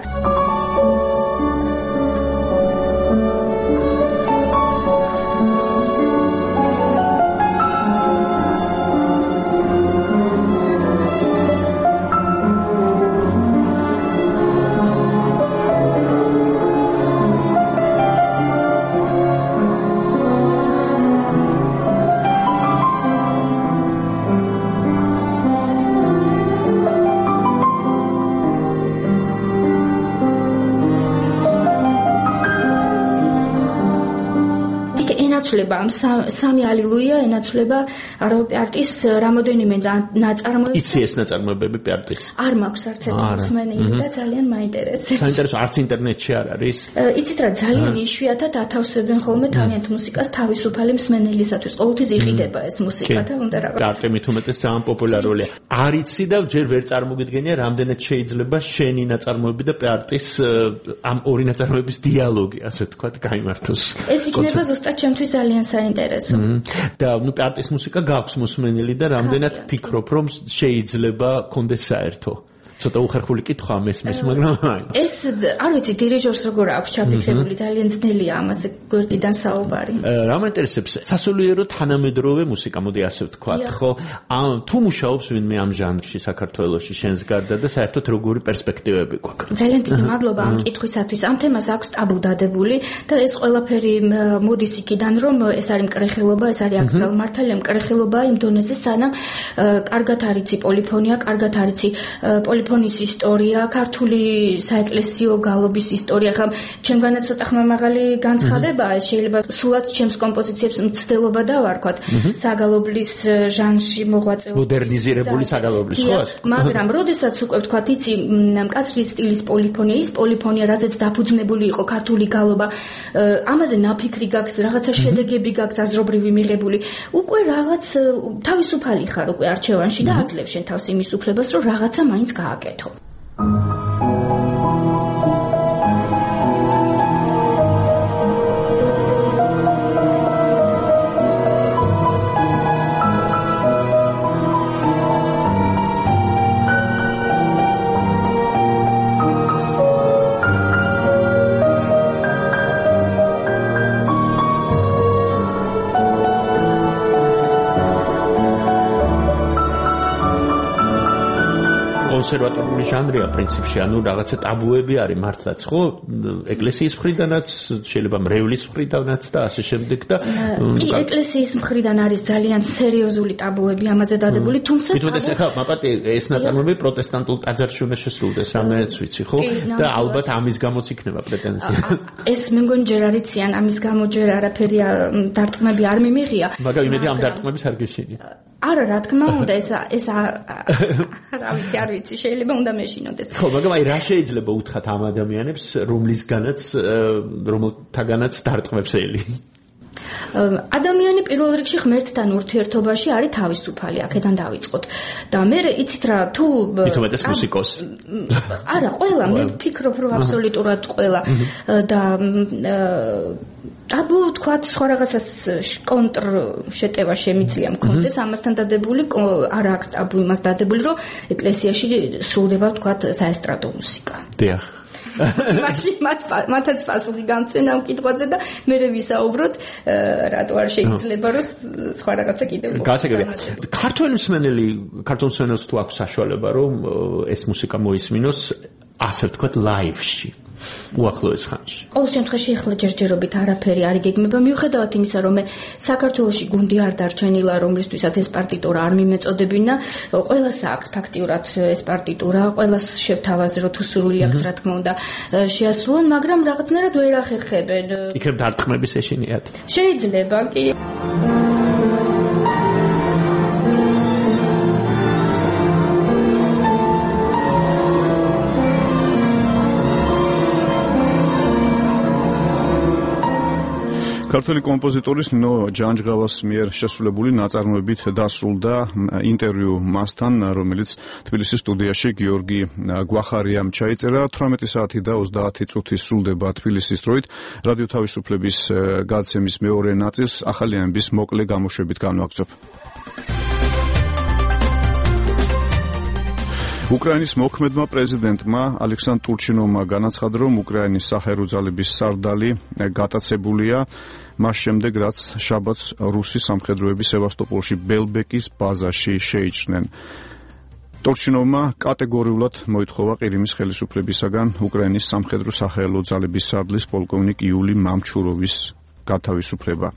ენაცვლება ამ სამი ალილუია ენაცვლება პარტიის რამოდენიმე ნაწარმოები. იცი ეს ნაწარმოებები პარტიის? არ მაქვს არც ერთი მსმენელი და ძალიან მაინტერესებს. საინტერესო, არც ინტერნეტში არ არის? იცით რა, ძალიან იშვიათად ათავსებენ ხოლმე თავიანთ მუსიკას თავისუფალი მსმენელისათვის. ყოველთვის იყიდება ეს მუსიკა და უნდა რაღაც. პარტი მით უმეტეს ძალიან პოპულარულია. არ იცი და ჯერ ვერ წარმოგიდგენია, რამდენად შეიძლება შენი ნაწარმოები და პარტის ამ ორი ნაწარმოების დიალოგი, ასე ვთქვათ, გაიმართოს. ეს იქნება ზუსტად ჩემთვის ძალიან საინტერესო. და ნუ პარტის მუსიკა გაქვს მოსმენელი და რამდენად ფიქრობ, რომ შეიძლება კონდეს საერთო? ცოტა უხერხული კითხვა მესმის, მაგრამ ეს არ ვიცი დირიჟორს როგორ აქვს ჩაფიქრებული, ძალიან ძნელია ამაზე გვერდიდან საუბარი. რა მაინტერესებს სასულიერო თანამედროვე მუსიკა, მოდი ასე ვთქვათ, ხო? თუ მუშაობს ვინმე ამ ჟანრში საქართველოში შენს გარდა და საერთოდ როგორი პერსპექტივები გვაქვს? ძალიან დიდი მადლობა ამ კითხვისათვის. ამ თემას აქვს ტაბუ დადებული და ეს ყველაფერი მოდის იქიდან, რომ ეს არის მკრეხელობა, ეს არის აკრძალმართალი მკრეხელობა იმ დონეზე, სანამ კარგად არიცი პოლიფონია, კარგად არიცი პოლიფონის ისტორია, ქართული საეკლესიო გალობის ისტორია. ხა ჩემგანაც ცოტა ხმამაღალი განცხადება, შეიძლება სულაც ჩემს კომპოზიციებს მცდელობა დავარქვათ. საგალობლის ჟანრში მოღვაწეობა. მოდერნიზირებული საგალობლის, ხო? მაგრამ როდესაც უკვე ვთქვათ, იცი, მკაცრი სტილის პოლიფონია, ის პოლიფონია, რაზეც დაფუძნებული იყო ქართული გალობა, ამაზე ნაფიქრი გაქვს, რაღაცა შედეგები გაქვს აზრობრივი მიღებული. უკვე რაღაც თავისუფალი ხარ უკვე არჩევანში და აძლევ შენ თავს იმის უფლებას, რომ რაღაცა მაინც გააკეთო. კონსერვატორული ჟანრია პრინციპში, ანუ რაღაცა ტაბუები არის მართლაც, ხო? ეკლესიის მხრიდანაც, შეიძლება მრევლის მხრიდანაც და ასე შემდეგ და კი, ეკლესიის მხრიდან არის ძალიან სერიოზული ტაბუები ამაზე დადებული, თუმცა თვითონ ახლა მაპატი ეს ნაწარმოები პროტესტანტულ ტაძარში უნდა შესრულდეს, რამეც ვიცი, ხო? და ალბათ ამის გამოც იქნება პრეტენზია. ეს მე მგონი ჯერ არ იციან, ამის გამო ჯერ არაფერი დარტყმები არ მიმიღია. მაგრამ იმედი ამ დარტყმების არ გეშინია. არა, რა თქმა უნდა, ეს რა ვიცი, არ ვიცი, შეიძლება უნდა მეშინოდეს. ხო, მაგრამ აი რა შეიძლება უთხრათ ამ ადამიანებს, რომელთაგანაც დარტყმებს ელი? ადამიანი პირველ რიგში ღმერთთან ურთიერთობაში არის თავისუფალი, აქედან დავიწყოთ. და მე იცით რა, თუ მithumetes მუსიკოსი. არა, ყველა, მე ვფიქრობ, რომ აბსოლუტურად ყველა და აბუ თქვათ სხვა რაღაცას კონტრ შეტევა შემიძლია მქონდეს ამასთან დადებული, არა აქვს ტაბუ იმას დადებული, რომ ეკლესიაში სრულდება თქვათ საესტრადო მუსიკა. დიახ. მაშინ მათაც პასუხი გამწვენ ამ კითხვაზე და მე ვისაუბროთ, რატო არ შეიძლება რომ სხვა რაღაცა კიდევ გასაგებია. ქართულ მსმენელს თუ აქვს საშუალება, რომ ეს მუსიკა მოისმინოს, ასე ვთქვათ, ლაივში. უახლოეს ხანში. ყოველ შემთხვევაში ახლა ჯერჯერობით არაფერი არ იგეგმება, მიუხედავად იმისა, რომ მე საქართველოში გუნდი არ დარჩენილა, რომლისთვისაც ეს პარტიტურა არ მიმეწოდებინა, ყველას აქვს ფაქტიურად ეს პარტიტურა, ყველას შევთავაზრო თუ სურვილი აქვს, რა თქმა უნდა, შეასრულონ, მაგრამ რაღაცნაირად ვერ ახერხებენ. იქნებ დარტყმების ეშინიათ. შეიძლება, კი. ქართველი კომპოზიტორის ნო ჯანჯღავას მიერ შესრულებული ნაწარმოებით დასრულდა ინტერვიუ მასთან, რომელიც თბილისის სტუდიაში გიორგი გვახარიამ ჩაიწერა. 18 საათი და 30 წუთი სრულდება თბილისის დროით. რადიო თავისუფლების გადაცემის მეორე ნაწილს ახალი ამბის მოკლე გამოშვებით განვაგრძობ. უკრაინის მოქმედმა პრეზიდენტმა ალექსანდრ ტურჩინოვმა განაცხადა, რომ უკრაინის საჰაერო ძალების სარდალი გატაცებულია მას შემდეგ, რაც შაბათს რუსი სამხედროები სევასტოპოლში ბელბეკის ბაზაში შეიჭრნენ. ტურჩინოვმა კატეგორიულად მოითხოვა ყირიმის ხელისუფლებისაგან უკრაინის სამხედრო საჰაერო ძალების სარდლის პოლკოვნიკ იული მამჩუროვის გათავისუფლება.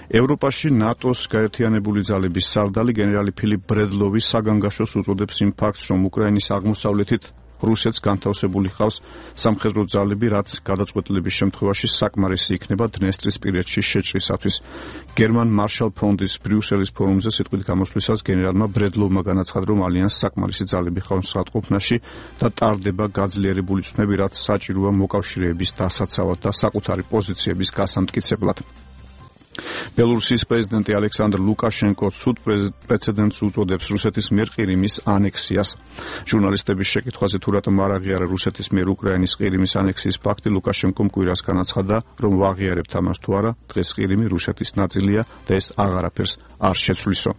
ევროპაში ნატოს გაერთიანებული ძალების სარდალი გენერალი ფილიპ ბრედლოვი საგანგაშოს უწოდებს იმ ფაქტს, რომ უკრაინის აღმოსავლეთით რუსეთს განთავსებული ხავს სამხედრო ძალები, რაც გადაწყვეტილების შემთხვევაში საკმარისი იქნება დნესტრის პირეთში შეჭრისათვის. გერმან მარშალ ფრონტის ბრიუსელის ფორუმზე სიტყვით გამოსვლისას გენერალმა ბრედლოვმა განაცხადა, რომ ალიანსს საკმარისი ძალები ხავს სრულყოფნაში და ტარდება გაძლიერებული ცნები, რაც საჭიროა მოკავშირეების დასაცავად და საკუთარი პოზიციების გასამტკიცებლად. ბელორუსიის პრეზიდენტი ალექსანდრ ლუკაშენკო ცუდ პრეცედენტს უწოდებს რუსეთის მიერ ყირიმის ანექსიას. ჟურნალისტების შეკითხვაზე თუ რატომ არ აღიარა რუსეთის მიერ უკრაინის ყირიმის ანექსიის ფაქტი, ლუკაშენკომ კვირას განაცხადა, რომ ვაღიარებთ ამას თუ არა, დღეს ყირიმი რუსეთის ნაწილია და ეს აღარაფერს არ შეცვლისო.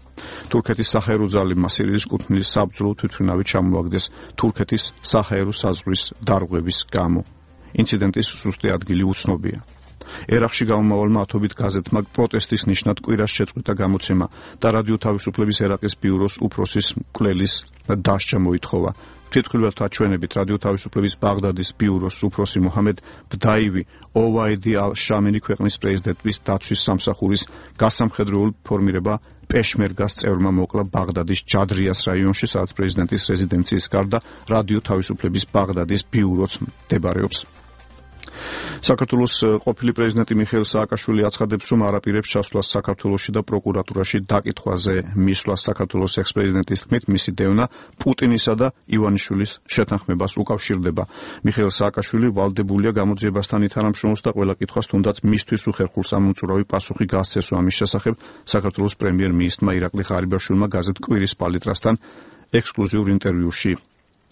თურქეთის საჰაერო ძალებმა სირიის კუთვნილის საბრძოლო თვითმფრინავი ჩამოაგდეს თურქეთის საჰაერო საზღვრის დარღვევის გამო. ინციდენტის ზუსტი ადგილი უცნობია. ერაყში გამომავალმა ათობით გაზეთმა პროტესტის ნიშნად კვირას შეწყვიტა გამოცემა და რადიო თავისუფლების ერაყის ბიუროს უფროსის მკვლელის დასჯა მოითხოვა. თვითმხილველთა ჩვენებით რადიო თავისუფლების ბაღდადის ბიუროს უფროსი მოჰამედ ბდაივი ოვაიდი ალ-შამენი ქვეყნის პრეზიდენტის დაცვის სამსახურის გასამხედროებულ ფორმირება პეშმერგას წევრმა მოკლა ბაღდადის ჯადრიას რაიონში, სადაც პრეზიდენტის რეზიდენციის გარდა რადიო თავისუფლების ბაღდადის ბიუროც მდებარეობს. საქართველოს ყოფილი პრეზიდენტი მიხეილ სააკაშვილი აცხადებს, რომ არ აპირებს ჩასვლას საქართველოში და პროკურატურაში დაკითხვაზე მისვლას. საქართველოს ექს-პრეზიდენტის თქმით, მისი დევნა პუტინისა და ივანიშვილის შეთანხმებას უკავშირდება. მიხეილ სააკაშვილი ვალდებულია გამოძიებასთან ითანამშრომლოს და ყველა კითხვას თუნდაც მისთვის უხერხულს ამომწურავი პასუხი გასცეს ამის შესახებ. საქართველოს პრემიერ-მინისტრმა ირაკლი ღარიბაშვილმა გაზეთ კვირის პალიტრასთან ექსკლუზიურ ინტერვიუში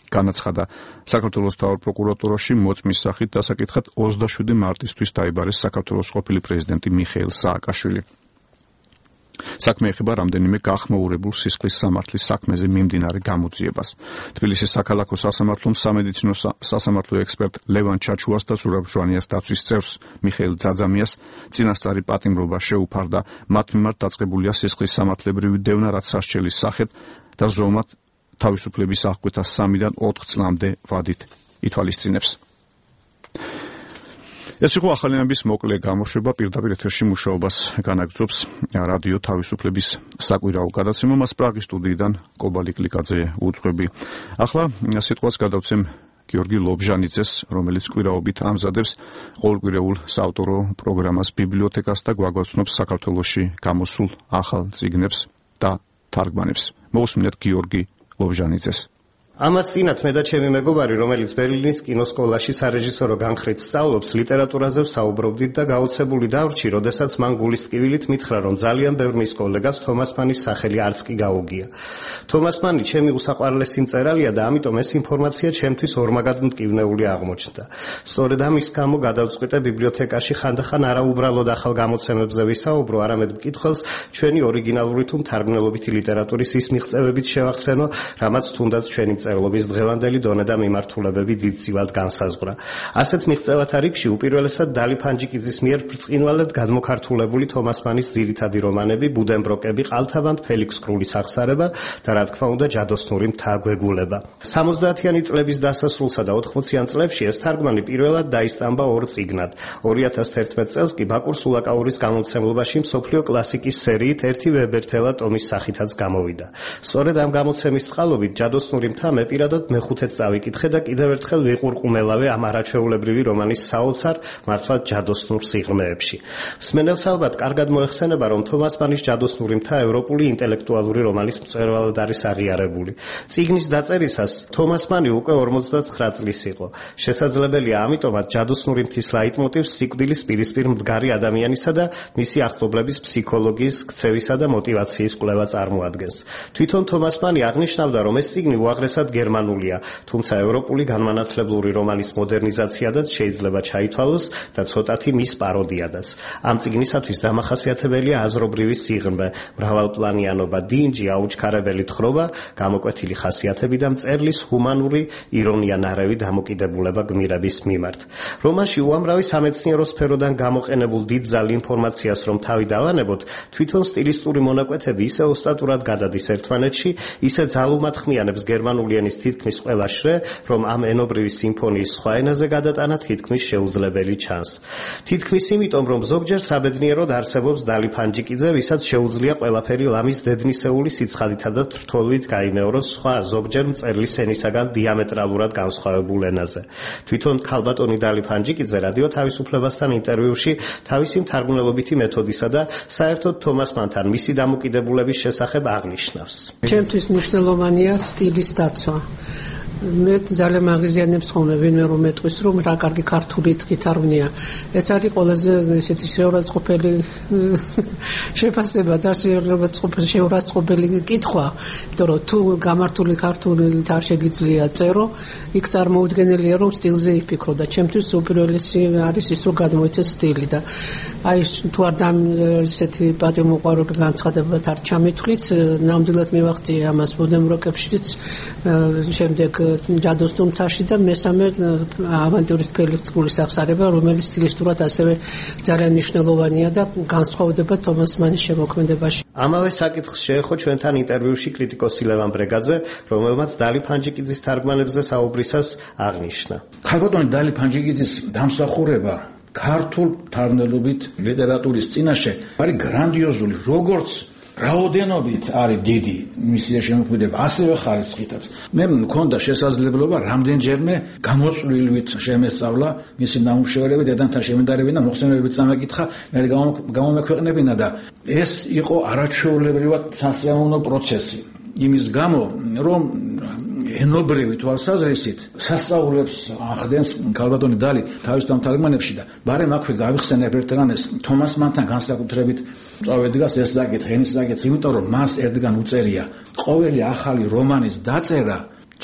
განაცხადა, საქართველოს მთავარ პროკურატურაში მოწმის სახით დასაკითხად 27 მარტისთვის დაიბარეს საქართველოს ყოფილი პრეზიდენტი მიხეილ სააკაშვილი. საქმე ეხება რამდენიმე გახმაურებულ სისხლის სამართლის საქმეზე მიმდინარე გამოძიებას. თბილისის საქალაქო სასამართლომ სამედიცინო სასამართლო ექსპერტ ლევან ჩაჩუას და ზურაბ ჟვანიას დაცვის წევრს მიხეილ ძაძამიას წინასწარი პატიმრობა შეუფარდა. მათ მიმართ დაწყებულია სისხლის სამართლებრივი დევნა, რაც სასჯელის სახით და ზომად თავისუფლების აღკვეთა 3-დან 4 წლამდე ვადით ითვალისწინებს. ეს იყო ახალიანების მოკლე გამოშვება, პირდაპირ ეთერში მუშაობას განაგრძობს რადიო თავისუფლების საკვირაო გადაცემა, მას პრაღის სტუდიიდან კობალი კლიკაძე უძღვები. ახლა სიტყვას გადავცემ გიორგი ლობჟანიძეს, რომელიც კვირაობით ამზადებს ყოველკვირეულ საავტორო პროგრამას ბიბლიოთეკას და გვაგვაცნობს საქართველოში გამოსულ ახალ წიგნებს და თარგმანებს. მოусმინეთ გიორგი ლობჟანიძეს. ამას წინათ მე და ჩემი მეგობარი, რომელიც ბერლინის კინოსკოლაში სარეჟისორო განხრით სწავლობს, ლიტერატურაზე ვსაუბრობდით და გაოცებული დავრჩი, როდესაც მან გულის ტკივილით მითხრა, რომ ძალიან ბევრ მის კოლეგას თომას მანის სახელი არც კი გაუგია. თომას მანი ჩემი უსაყვარლესი მწერალია და ამიტომ ეს ინფორმაცია ჩემთვის ორმაგად მტკივნეული აღმოჩნდა. სწორედ ამის გამო გადავწყვიტე ბიბლიოთეკაში ხანდახან არა უბრალოდ ახალ გამოცემებზე ვისაუბრო, არამედ მკითხველს ჩვენი ორიგინალური თუ მთარგმნელობითი ლიტერატურის ის მიღწევებით შევახსენო, რამაც თუნდაც ჩვენი მწერლობის დღევანდელი დონე და მიმართულებები დიდწილად განსაზღვრა. ასეთ მიღწევათა რიგში უპირველესად დალი ფანჯიკიძის მიერ ბრწყინვალედ გადმოქართულებული თომას მანის ძირითადი რომანები ბუდენბროკები, ყალთაბანთ ფელიქს კრულის აღსარება და რა თქმა უნდა ჯადოსნური მთა გვეგულება. 70-იანი წლების დასასრულსა და 80-იან წლებში ეს თარგმანი პირველად დაისტამბა 2 წიგნად. 2011 წელს კი ბაკურ სულაკაურის გამომცემლობაში მსოფლიო კლასიკის სერიით ერთი ვებერთელა ტომის სახითაც გამოვიდა. სწორედ ამ გამოცემის წყალობით ჯადოსნური მთა მე პირადად მეხუთედ წავიკითხე და კიდევ ერთხელ ვიყურყუმელავე ამ არაჩვეულებრივი რომანის საოცარ, მართლაც ჯადოსნურ სიღრმეებში. მსმენელს ალბათ კარგად მოეხსენება, რომ თომას მანის ჯადოსნური მთა ევროპული ინტელექტუალური რომანის მწვერვალად არის აღიარებული. წიგნის დაწერისას თომას მანი უკვე 59 წლის იყო. შესაძლებელია ამიტომაც ჯადოსნური მთის ლაიტმოტივს სიკვდილის პირისპირ მდგარი ადამიანისა და მისი ახლობლების ფსიქოლოგიის, ქცევისა და мотиваციის კვლევა წარმოადგენს. თვითონ თომას მანი აღნიშნავდა, რომ ეს წიგნი უაღრესად გერმანულია, თუმცა ევროპული განმანათლებლური რომანის მოდერნიზაციადაც შეიძლება ჩაითვალოს და ცოტათი მის პაროდიადაც. ამ წიგნისათვის დამახასიათებელია აზრობრივი სიღრმე, მრავალპლანიანობა, დინჯი, აუჩქარებელი თხრობა, გამოკვეთილი ხასიათები და მწერლის ჰუმანური ირონია-ნარევი დამოკიდებულება გმირების მიმართ. რომანში უამრავი სამეცნიერო სფეროდან გამოყენებულ დიდძალ ინფორმაციას რომ თავი დავანებოთ, თვითონ სტილისტური მონაკვეთები ისე ოსტატურად გადადის ერთმანეთში, ისე ძალუმატ ხმიანებს გერმანული მიხელიანის თითქმის ყველა შრე, რომ ამ ენობრივი სიმფონიის სხვა ენაზე გადატანა თითქმის შეუძლებელი ჩანს. თითქმის იმიტომ, რომ ზოგჯერ საბედნიეროდ არსებობს დალი ფანჯიკიძე, ვისაც შეუძლია ყველაფერი ლამის დედნისეული სიცხადითა და თრთოლვით გაიმეოროს სხვა ზოგჯერ მწერლის ენისაგან დიამეტრალურად განსხვავებულ ენაზე. თვითონ ქალბატონი დალი ფანჯიკიძე რადიო თავისუფლებასთან ინტერვიუში თავისი მთარგმნელობითი მეთოდისა და საერთოდ თომას მანთან მისი დამოკიდებულების შესახებ აღნიშნავს. ჩემთვის მნიშვნელოვანია სტილის დაცვა. მე ძალიან მაგიზიანებს ხოლმე ვინმე რომ მეტყვის რომ რა კარგი ქართული თქითარვნია. ეს არის ყველაზე ესეთი შეურაცხყოფელი შეფასება და შეურაცხყოფელი კითხვა, იმიტომ რომ თუ გამართული ქართულით არ შეგიძლია წერო, იქ წარმოუდგენელია რომ სტილზე იფიქრო და ჩემთვის უპირველესი არის ის რომ გადმოიცეს სტილი და აი თუ არ ესეთი პატიმოყვარული განცხადებად არ ჩამithვლით, ნამდვილად მივახციე ამას ბუნებრივაკებშიც შემდეგ ჯადოსნურ მთაში და მესამე ავანტურის ფელიქსკულის აღსარება, რომელიც სტილისტურად ასევე ძალიან მნიშვნელოვანია და განსხვავდება თომას მანის შემოქმედებაში. ამავე საკითხს შეეხო ჩვენთან ინტერვიუში კრიტიკოსი ლევან ბრეგაძე, რომელმაც დალი ფანჯიკიძის თარგმანებზე საუბრისას აღნიშნა. ქალბატონი დალი ფანჯიკიძის დამსახურება ქართულ თარგმნელობით ლიტერატურის წინაშე არის გრანდიოზული, როგორც რაოდენობით არის დიდი მისი შემოქმედება, ასევე ხარისხითაც. მე მქონდა შესაძლებლობა რამდენჯერმე გამოწვლილივით შემესწავლა მისი ნამუშევრები, დედანთან შემედარებინა და მოხსენებებით წამეკითხა, მე გამომექვეყნებინა და ეს იყო არაჩვეულებრივად სასიამოვნო პროცესი. იმის გამო, რომ ენობრივი თვალსაზრისით სასწაულებს ახდენს ქალბატონი დალი თავის თარგმანებში და ბარემ აქვე გავიხსენებ ერთგანეს თომას მანთან განსაკუთრებით წავედგას ეს საკითხი, ენის საკითხი, იმიტომ რომ მას ერთგან უწერია ყოველი ახალი რომანის დაწერა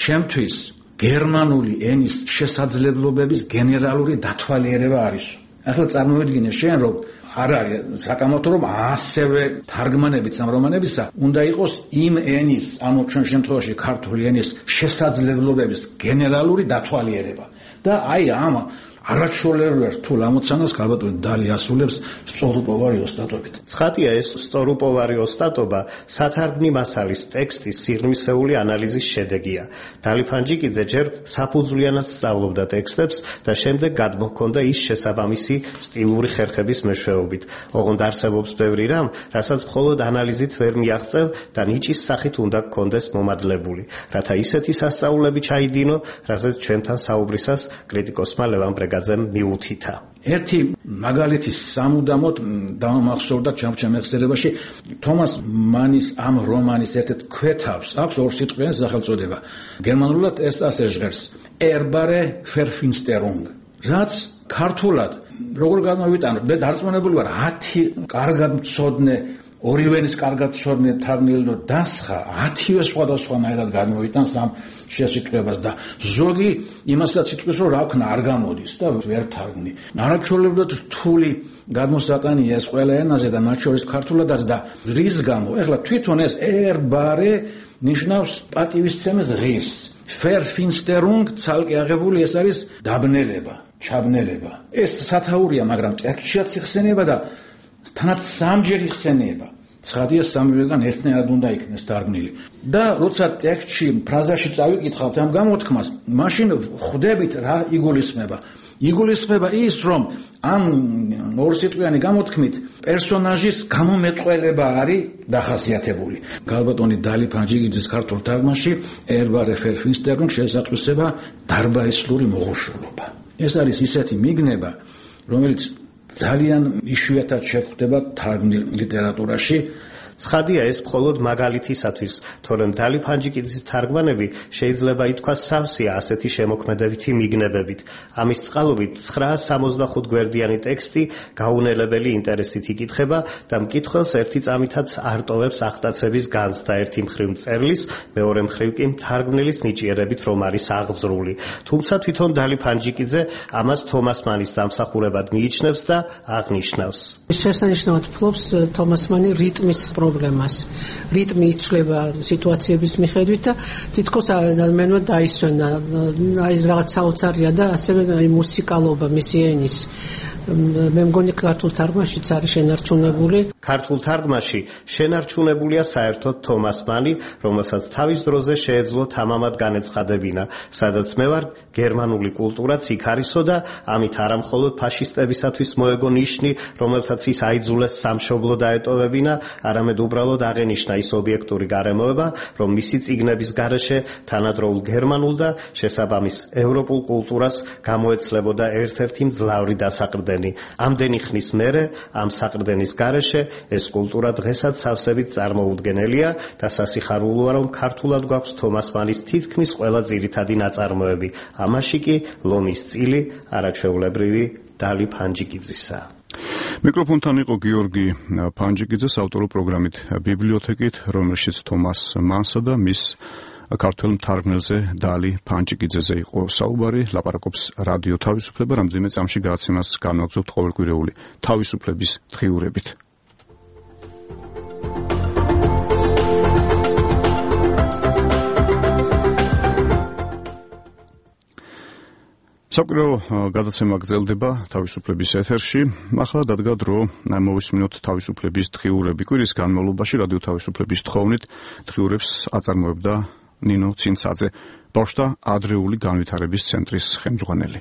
ჩემთვის გერმანული ენის შესაძლებლობების გენერალური დათვალიერება არის. ახლა წარმოვიდგინე შენ რომ არ არის საკამათო რომ ასევე თარგმანებიც ამ რომანებისა უნდა იყოს იმ ენის, ანუ ჩვენ შემთხვევაში ქართული ენის შესაძლებლობების გენერალური დათვალიერება და აი ამ არაჩვეულებრივ რთულ ამოცანას ქალბატონი დალი ასრულებს სწორუპოვარი ოსტატობით. ცხადია, ეს სწორუპოვარი ოსტატობა სათარგმნი მასალის ტექსტის სიღრმისეული ანალიზის შედეგია. დალი ფანჯიკიძე ჯერ საფუძვლიანად სწავლობდა ტექსტებს და შემდეგ გადმოჰქონდა ის შესაბამისი სტილური ხერხების მეშვეობით. ოღონდ არსებობს ბევრი რამ, რასაც მხოლოდ ანალიზით ვერ მიაღწევ და ნიჭის სახით უნდა გქონდეს მომადლებული, რათა ისეთი სასწაულები ჩაიდინო, რასაც ჩვენთან საუბრისას კრიტიკოსმა ლევან ბრეგაძემ მიუთითა. ერთი მაგალითი სამუდამოდ დამახსოვრდა ჩემხსენებაში თომას მანის ამ რომანის ერთ-ერთ ქვეთავს აქვს ორსიტყვიანი სახელწოდება. გერმანულად ეს ასე ჟღერს: Erbare Verfinsterung. რაც ქართულად როგორ გამოვიტანო? მე დარწმუნებული ვარ 10 კარგად მცოდნე ორივენის კარგად მცოდნე თარგმნელი დასხა 10-ვე სხვადასხვანაირად გამოიტანს ამ შესიტყვებას და ზოგი იმასაც იტყვის რომ რა ვქნა არ გამოდის და ვერ თარგმნი. არაჩვეულებრივად რთული გადმოსატანია ეს ყველა ენაზე და მათ შორის ქართულადაც და რის გამო ეხლა თვითონ ეს erbare ნიშნავს პატივისცემის ღირს. Verfinsterung ცალკე აღებული ეს არის დაბნელება, ჩაბნელება. ეს სათაურია, მაგრამ ტექსტშიც იხსენიება და თანაც სამჯერ იხსენიება. ცხადია სამივეგან ერთნაირად უნდა იქნეს თარგმნილი. და როცა ტექსტში ფრაზაში წავიკითხავთ ამ გამოთქმას, მაშინ ხვდებით რა იგულისხმება. იგულისხმება ის, რომ ამ ორსიტყვიანი გამოთქმით პერსონაჟის გამომეტყველება არის დახასიათებული. ქალბატონი დალი ფანჯიკიძის ქართულ თარგმანში Erbare Verfinsterung შესატყვისება დარბაისლური მოღუშულობა. ეს არის ისეთი მიგნება, რომელიც ძალიან იშვიათად შეხვდება თარგმნილ ლიტერატურაში. ცხადია ეს მხოლოდ მაგალითისათვის, თორემ დალი ფანჯიკიძის თარგმანები შეიძლება ითქვას სავსეა ასეთი შემოქმედებითი მიგნებებით. ამის წყალობით 965 გვერდიანი ტექსტი გაუნელებელი ინტერესით იკითხება და მკითხველს ერთი წამითაც არტოვებს აღტაცების განცდა ერთი მხრივ მწერლის, მეორე მხრივ კი თარგმნილის ნიჭიერებით რომ არის აღძრული. თუმცა თვითონ დალი ფანჯიკიძე ამას თომას მანის დამსახურებად მიიჩნევს და აღნიშნავს. შესანიშნავად ფლობს თომას მანი რიტმის პრობლემას. რიტმი იცვლება სიტუაციების მიხედვით და თითქოს ადამიანმა დაისვენა აი რაღაც საოცარია და ასევე აი მუსიკალობა მისი ენის მე მგონი ქართულ თარგმანაშიც არის შენარჩუნებული. ქართულ თარგმანში შენარჩუნებულია საერთოდ თომას მანი, რომელსაც თავის დროზე შეეძლო თამამად განეცხადებინა, სადაც მე ვარ გერმანული კულტურაც იქ არისო და ამით არა მხოლოდ ფაშისტებისათვის მოეგო ნიშნი, რომელთაც ის აიძულეს სამშობლო დაეტოვებინა, არამედ უბრალოდ აღენიშნა ის ობიექტური გარემოება, რომ მისი წიგნების გარეშე თანადროულ გერმანულ და შესაბამის ევროპულ კულტურას გამოეცლებოდა ერთ-ერთი მძლავრი დასაყრდენი. ამდენი ხნის მერე ამ საყრდენის გარეშე ეს კულტურა დღესაც სავსებით წარმოუდგენელია და სასიხარულოა, რომ ქართულად გვაქვს თომას მანის თითქმის ყველა ძირითადი ნაწარმოები. ამაში კი ლომის წილი არაჩვეულებრივი დალი ფანჯიკიძისა. მიკროფონთან იყო გიორგი ფანჯიკიძე საავტორო პროგრამით ბიბლიოთეკით, რომელშიც თომას მანსა და მის ქართულ მთარგმნელზე დალი ფანჯიკიძეზე იყო საუბარი. ლაპარაკობს რადიო თავისუფლება, რამდენიმე წამში გადაცემას განვაგრძობთ ყოველკვირეული თავისუფლების დღიურებით. საკვირაო გადაცემა გრძელდება თავისუფლების ეთერში. ახლა დადგა დრო მოვისმინოთ თავისუფლების დღიურები. კვირის განმავლობაში რადიო თავისუფლების თხოვნით დღიურებს აწარმოებდა ნინო ცინცაძე, ბავშვთა ადრეული განვითარების ცენტრის ხელმძღვანელი.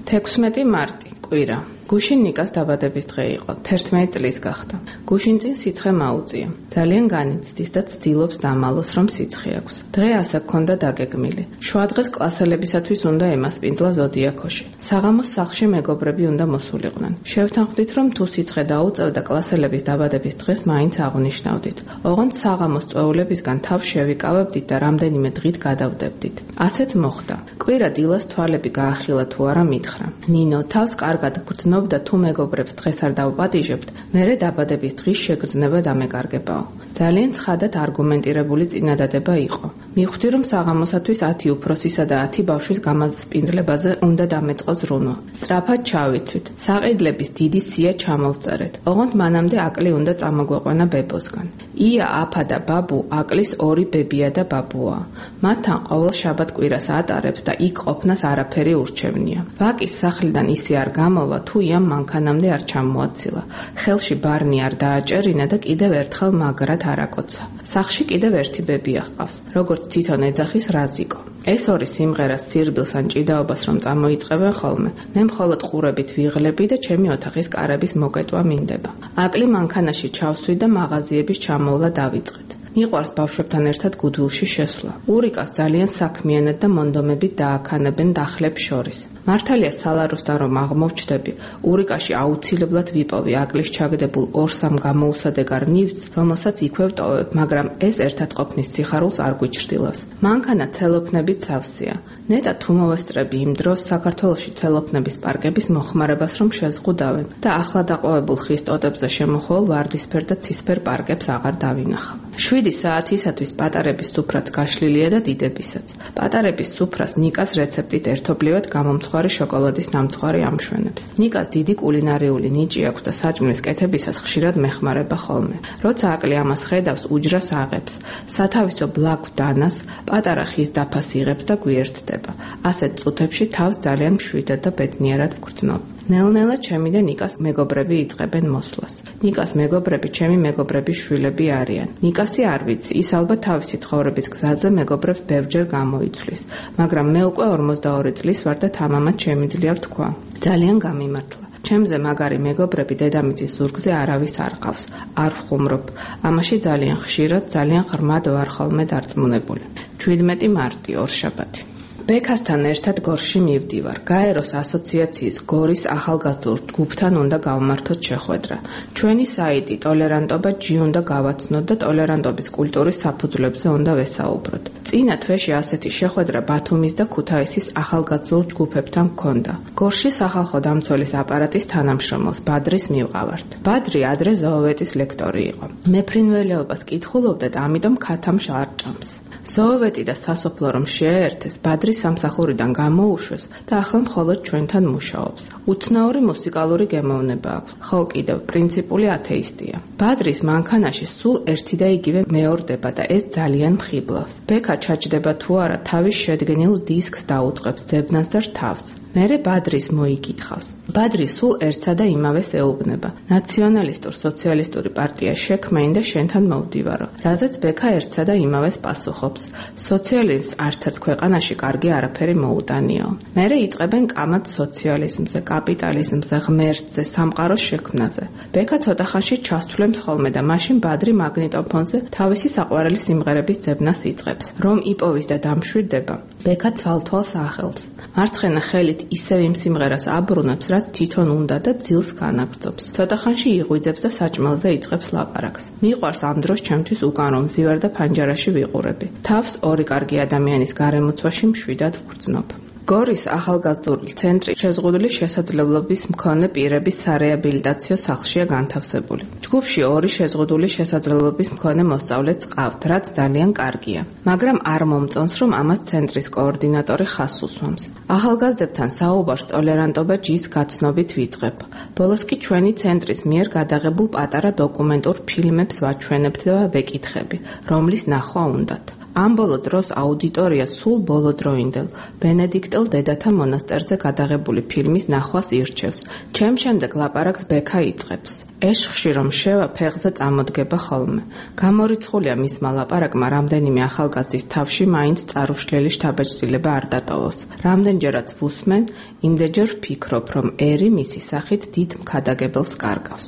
16 მარტი, კვირა. გუშინ ნიკას დაბადების დღე იყო. 11 წლის გახდა. გუშინ წინ სიცხე მაუწია. ძალიან განიცდის და ცდილობს დამალოს, რომ სიცხე აქვს. დღე ასე გქონდა დაგეგმილი. შუადღეს კლასელებისათვის უნდა ემასპინძლა ზოდიაქოში. საღამოს სახლში მეგობრები უნდა მოსულიყვნენ. შევთანხმდით, რომ თუ სიცხე დაუწევდა კლასელების დაბადების დღეს მაინც აღნიშნავდით. ოღონდ საღამოს წვეულებისგან თავს შევიკავებდით და რამდენიმე დღით გადავდებდით. ასეც მოხდა. კვირა დილას თვალები გაახილა თუ არა მითხრა. ნინო თავს კარგად გრძნობდა, თუ მეგობრებს დღეს არ დავპატიჟებთ, მერე დაბადების დღის შეგრძნება დამეკარგებაო. ძალიან ცხადად არგუმენტირებული წინადადება იყო. მივხვდი, რომ საღამოსათვის 10 უფროსისა და 10 ბავშვის გამასპინძლებაზე უნდა დამეწყო ზრუნვა. სწრაფად ჩავიცვით. საყიდლების დიდი სია ჩამოვწერეთ. ოღონდ მანამდე აკლი უნდა წამოგვეყვანა ბებოსგან. ია, აფა და ბაბუ აკლის 2 ბებია და ბაბუა. მათთან ყოველ შაბათ კვირას ატარებს და იქ ყოფნას არაფერი ურჩევნია. ვაკის სახლიდან ისე არ გამოვა, თუ იამ მანქანამდე არ ჩამოაცილა. ხელში ბარნი არ დააჭერინა და კიდევ ერთხელ მაგრად არაკოცა. სახლში კიდევ ერთი ბებია ჰყავს, როგორც თვითონ ეძახის რაზიკო. ეს ორი სიმღერას სირბილს ან ჭიდაობას რომ წამოიწყებენ ხოლმე, მე მხოლოდ ყურებით ვიღლები და ჩემი ოთახის კარების მოკეტვა მინდება. აკლი მანქანაში ჩავსვი და მაღაზიების ჩამოვლა დავიწყეთ. მიყვარს ბავშვებთან ერთად გუდულში შესვლა. ურიკას ძალიან საქმიანად და მონდომებით დააქანებენ დახლებს შორის. მართალია სალაროსთან რომ აღმოვჩდები, ურიკაში აუცილებლად ვიპოვი აკლის ჩაგდებულ 2-3 გამოუსადეგარ ნივთს, რომელსაც იქვე ვტოვებ, მაგრამ ეს ერთად ყოფნის სიხარულს არ გვიჩრდილავს. მანქანა ცელოფნებით სავსეა. ნეტა თუ მოვესწრები იმ დროს საქართველოში ცელოფნების პარკების მოხმარებას რომ შეზღუდავენ და ახლა დაყვავებულ ხის ტოტებზე შემოხვალ ვარდისფერ და ცისფერ პარკებს აღარ დავინახავ. 7 საათისათვის პატარების სუფრაც გაშლილია და დიდებისაც. პატარების სუფრას ნიკას რეცეპტით ერთობლივად გამომცხვარი შოკოლადის ნამცხვარი ამშვენებს. ნიკას დიდი კულინარიული ნიჭი აქვს და საჭმლის კეთებისას ხშირად მეხმარება ხოლმე. როცა აკლი ამას ხედავს, უჯრას აღებს. სათავისო ბლაგვ დანას, პატარა ხის დაფას იღებს და გვიერთდება. ასეთ წუთებში თავს ძალიან მშვიდად და ბედნიერად ვგრძნობ. ნელ-ნელა ჩემი და ნიკას მეგობრები იწყებენ მოსვლას. ნიკას მეგობრები ჩემი მეგობრების შვილები არიან. ნიკასი არ ვიცი, ის ალბათ თავისი ცხოვრების გზაზე მეგობრებს ბევრჯერ გამოიცვლის, მაგრამ მე უკვე 42 წლის ვარ და თამამად შემიძლია ვთქვა. ძალიან გამიმართლა. ჩემზე მაგარი მეგობრები დედამიწის ზურგზე არავის არ ყავს. არ ვხუმრობ. ამაში ძალიან ხშირად, ძალიან ღრმად ვარ ხოლმე დარწმუნებული. 17 მარტი, ორშაბათი. ბექასთან ერთად გორში მივდივარ. გაეროს ასოციაციის გორის ახალგაზრდულ ჯგუფთან უნდა გავმართოთ შეხვედრა. ჩვენი საიტი ტოლერანტობა G უნდა გავაცნოთ და ტოლერანტობის კულტურის საფუძვლებზე უნდა ვესაუბროთ. წინა თვეში ასეთი შეხვედრა ბათუმის და ქუთაისის ახალგაზრდულ ჯგუფებთან ჰქონდა. გორში სახალხო დამცველის აპარატის თანამშრომელს ბადრის მივყავართ. ბადრი ადრე ზოოვეტის ლექტორი იყო. მე ფრინველეობას კითხულობდა და ამიტომ ქათამს არ ჭამს. ზოოვეტი და სასოფლო რომ შეერთეს, ბადრი სამსახურიდან გამოუშვეს და ახლა მხოლოდ ჩვენთან მუშაობს. უცნაური მუსიკალური გემოვნება აქვს, ხო კიდევ პრინციპული ათეისტია. ბადრის მანქანაში სულ ერთი და იგივე მეორდება და ეს ძალიან მხიბლავს. ბექა ჩაჯდება თუ არა, თავის შედგენილ დისკს დაუწყებს ძებნას და რთავს. მერე ბადრის მოიკითხავს. ბადრი სულ ერთსა და იმავეს ეუბნება. ნაციონალისტურ სოციალისტური პარტია შექმეინ და შენთან მოვდივარო. რაზეც ბექა ერთსა და იმავეს პასუხობს. სოციალიზმს არც ერთ ქვეყანაში კარგი არაფერი მოუტანიო. მერე იწყებენ კამად სოციალიზმზე, კაპიტალიზმზე, ღმერთზე, სამყაროს შექმნაზე. ბექა ცოტა ხანში ჩასთვლემს ხოლმე და მაშინ ბადრი მაგნიტოფონზე თავისი საყვარელი სიმღერების ძებნას იწყებს. რომ იპოვის და დამშვიდდება, ბექა ცალთვალს ახელს. მარცხენა ხელით ისევ იმ სიმღერას აბრუნებს, რაც თვითონ უნდა და ძილს განაგრძობს. ცოტა ხანში იღვიძებს და საჭმელზე იწყებს ლაპარაკს. მიყვარს ამ დროს ჩემთვის უკან რომ ზივარ და ფანჯარაში ვიყურები. თავს ორი კარგი ადამიანის გარემოცვაში მშვიდად ვგრძნობ. გორის ახალგაზრდული ცენტრი შეზღუდული შესაძლებლობის მქონე პირების სარეაბილიტაციო სახლშია განთავსებული. ჯგუფში ორი შეზღუდული შესაძლებლობის მქონე მოსწავლეც ყავთ, რაც ძალიან კარგია. მაგრამ არ მომწონს, რომ ამას ცენტრის კოორდინატორი ხაზს უსვამს. ახალგაზრდებთან საუბარს ტოლერანტობა ჯის გაცნობით ვიწყებ. ბოლოს კი ჩვენი ცენტრის მიერ გადაღებულ პატარა დოკუმენტურ ფილმებს ვაჩვენებთ და ვეკითხები, რომლის ნახვა უნდათ. ამ ბოლო დროს აუდიტორია სულ ბოლოდროინდელ ბენედიქტელ დედათა მონასტერზე გადაღებული ფილმის ნახვას ირჩევს. ჩემ შემდეგ ლაპარაკს ბექა იწყებს. ეშხში რომ შევა ფეხზე წამოდგება ხოლმე. გამორიცხულია მისმა ლაპარაკმა რამდენიმე ახალგაზრდის თავში მაინც წარუშლელი შთაბეჭდილება არ დატოვოს. რამდენჯერაც ვუსმენ, იმდენჯერ ვფიქრობ, რომ ერი მისი სახით დიდ მქადაგებელს კარგავს.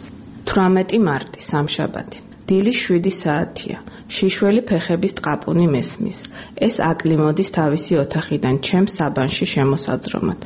18 მარტი, სამშაბათი. დილის 7 საათია. შიშველი ფეხების ტყაპუნი მესმის. ეს აკლი მოდის თავისი ოთახიდან ჩემს საბანში შემოსაძრომად.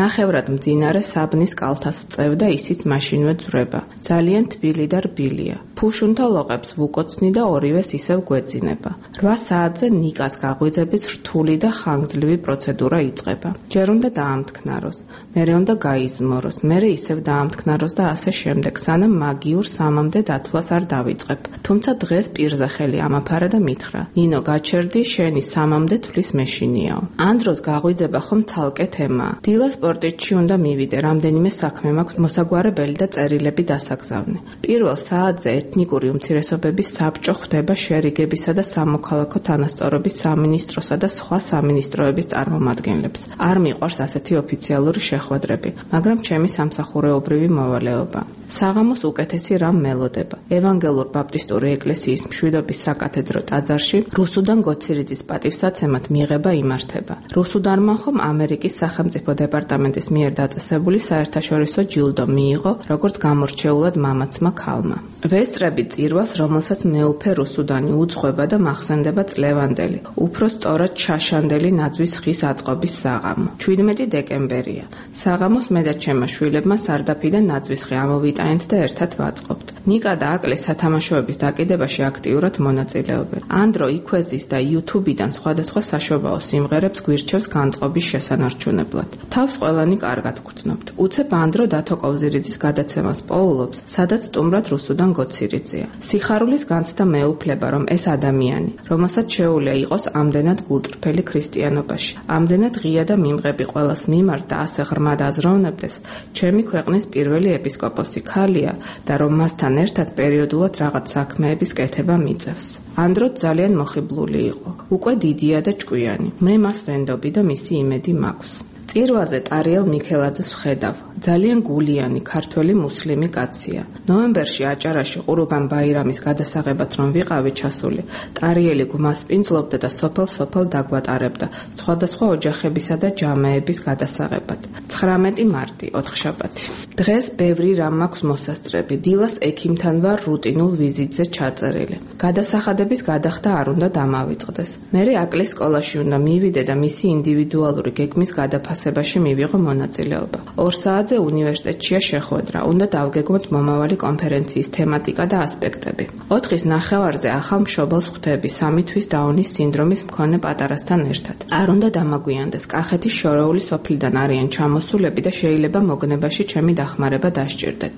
ნახევრად მძინარე საბნის კალთას ვწევ და ისიც მაშინვე ძვრება. ძალიან თბილი და რბილია. ფუშუნთა ლოყებს ვუკოცნი და ორივეს ისევ გვეძინება. 8 საათზე ნიკას გაღვიძების რთული და ხანგრძლივი პროცედურა იწყება. ჯერ უნდა დაამტკნაროს, მერე უნდა გაიზმოროს, მერე ისევ დაამტკნაროს და ასე შემდეგ, სანამ მაგიურ სამამდე დათვლას არ დავიწყებ. თუმცა დღეს პირზე ხელი ამაფარა და მითხრა: ნინო, გაჩერდი, შენი სამამდე თვლის მეშინიაო. ამ დროს გაღვიძება ხომ ცალკე თემაა. დილა სპორტეთში უნდა მივიდე, რამდენიმე საქმე მაქვს მოსაგვარებელი და წერილები დასაგზავნე. პირველ საათზე ეთნიკური უმცირესობების საბჭო ხვდება შერიგებისა და სამოქალაქო თანასწორობის სამინისტროსა და სხვა სამინისტროების წარმომადგენლებს. არ მიყვარს ასეთი ოფიციალური შეხვედრები, მაგრამ ჩემი სამსახურეობრივი მოვალეობა. საღამოს უკეთესი რამ მელოდება. ევანგელურ ბაპტისტური ეკლესიის მშვიდობის საკათედრო ტაძარში რუსუდან გოცირიძის პატივსაცემად მიღება იმართება. რუსუდანმა ხომ ამერიკის სახელმწიფო დეპარტამენტის მიერ დაწესებული საერთაშორისო ჯილდო მიიღო, როგორც გამორჩეულად მამაცმა ქალმა. ვესწრები წირვას, რომელსაც მეუფე რუსუდანი უძღვება და მახსენდება წლევანდელი, უფრო სწორად ჩაშანდელი ნაძვის ხის აწყობის საღამო. 17 დეკემბერია. საღამოს მე და ჩემმა შვილებმა სარდაფიდან ნაძვის ხე ამოვიტანეთ და ერთად ვაწყობთ. ნიკა და აკლე სათამაშოების დაკიდებაში აქტიურად მონაწილეობენ. ანდრო იქვეზის და YouTube-დან სხვადასხვა საშობაო სიმღერებს გვირჩევს განწყობის შესანარჩუნებლად. თავს ყველანი კარგად გვგრძნობთ. უცებ ანდრო დათო კოვზირიძის გადაცემას პოულობს, სადაც სტუმრად რუსუდან გოცირიძეა. სიხარულის განცდა მეუფლება, რომ ეს ადამიანი, რომელსაც შეუძლია იყოს ამდენად გულწრფელი ქრისტიანობაში, ამდენად ღია და მიმღები ყველას მიმართ და ასე ღრმად აზროვნებდეს, ჩემი ქვეყნის პირველი ეპისკოპოსი ქალია და რომ მასთან ერთად პერიოდულად რაღაც საქმეების კეთება მიწევს. ანდრო ძალიან მოხიბლული იყო. უკვე დიდია და ჭკვიანი. მე მას ვენდობი და მისი იმედი მაქვს. წირვაზე ტარიელ მიქელაძეს ვხედავ. ძალიან გულიანი ქართველი მუსლიმი კაცია. ნოემბერში აჭარაში ყურუბან ბაირამის გადასაღებად რომ ვიყავი ჩასული, ტარიელი გვმასპინძლობდა და სოფელ-სოფელ დაგვატარებდა სხვადასხვა ოჯახებისა და ჯამეების გადასაღებად. 19 მარტი, ოთხშაბათი. დღეს ბევრი რამ მაქვს მოსასწრები. დილას ექიმთან ვარ რუტინულ ვიზიტზე ჩაწერილი. გადასახადების გადახდა არ უნდა დამავიწყდეს. მერე აკლის სკოლაში უნდა მივიდე და მისი ინდივიდუალური გეგმის გადაფასებაში მივიღო მონაწილეობა. 2 საათზე უნივერსიტეტშია შეხვედრა. უნდა დავგეგმოთ მომავალი კონფერენციის თემატიკა და ასპექტები. 4-ის ნახევარზე ახალ მშობელს ხვდები 3 თვის დაუნის სინდრომის მქონე პატარასთან ერთად. არ უნდა დამაგვიანდეს. კახეთის შორეული სოფლიდან არიან ჩამოსულები და შეიძლება მოგნებაში ჩემი დახმარება დასჭირდეთ.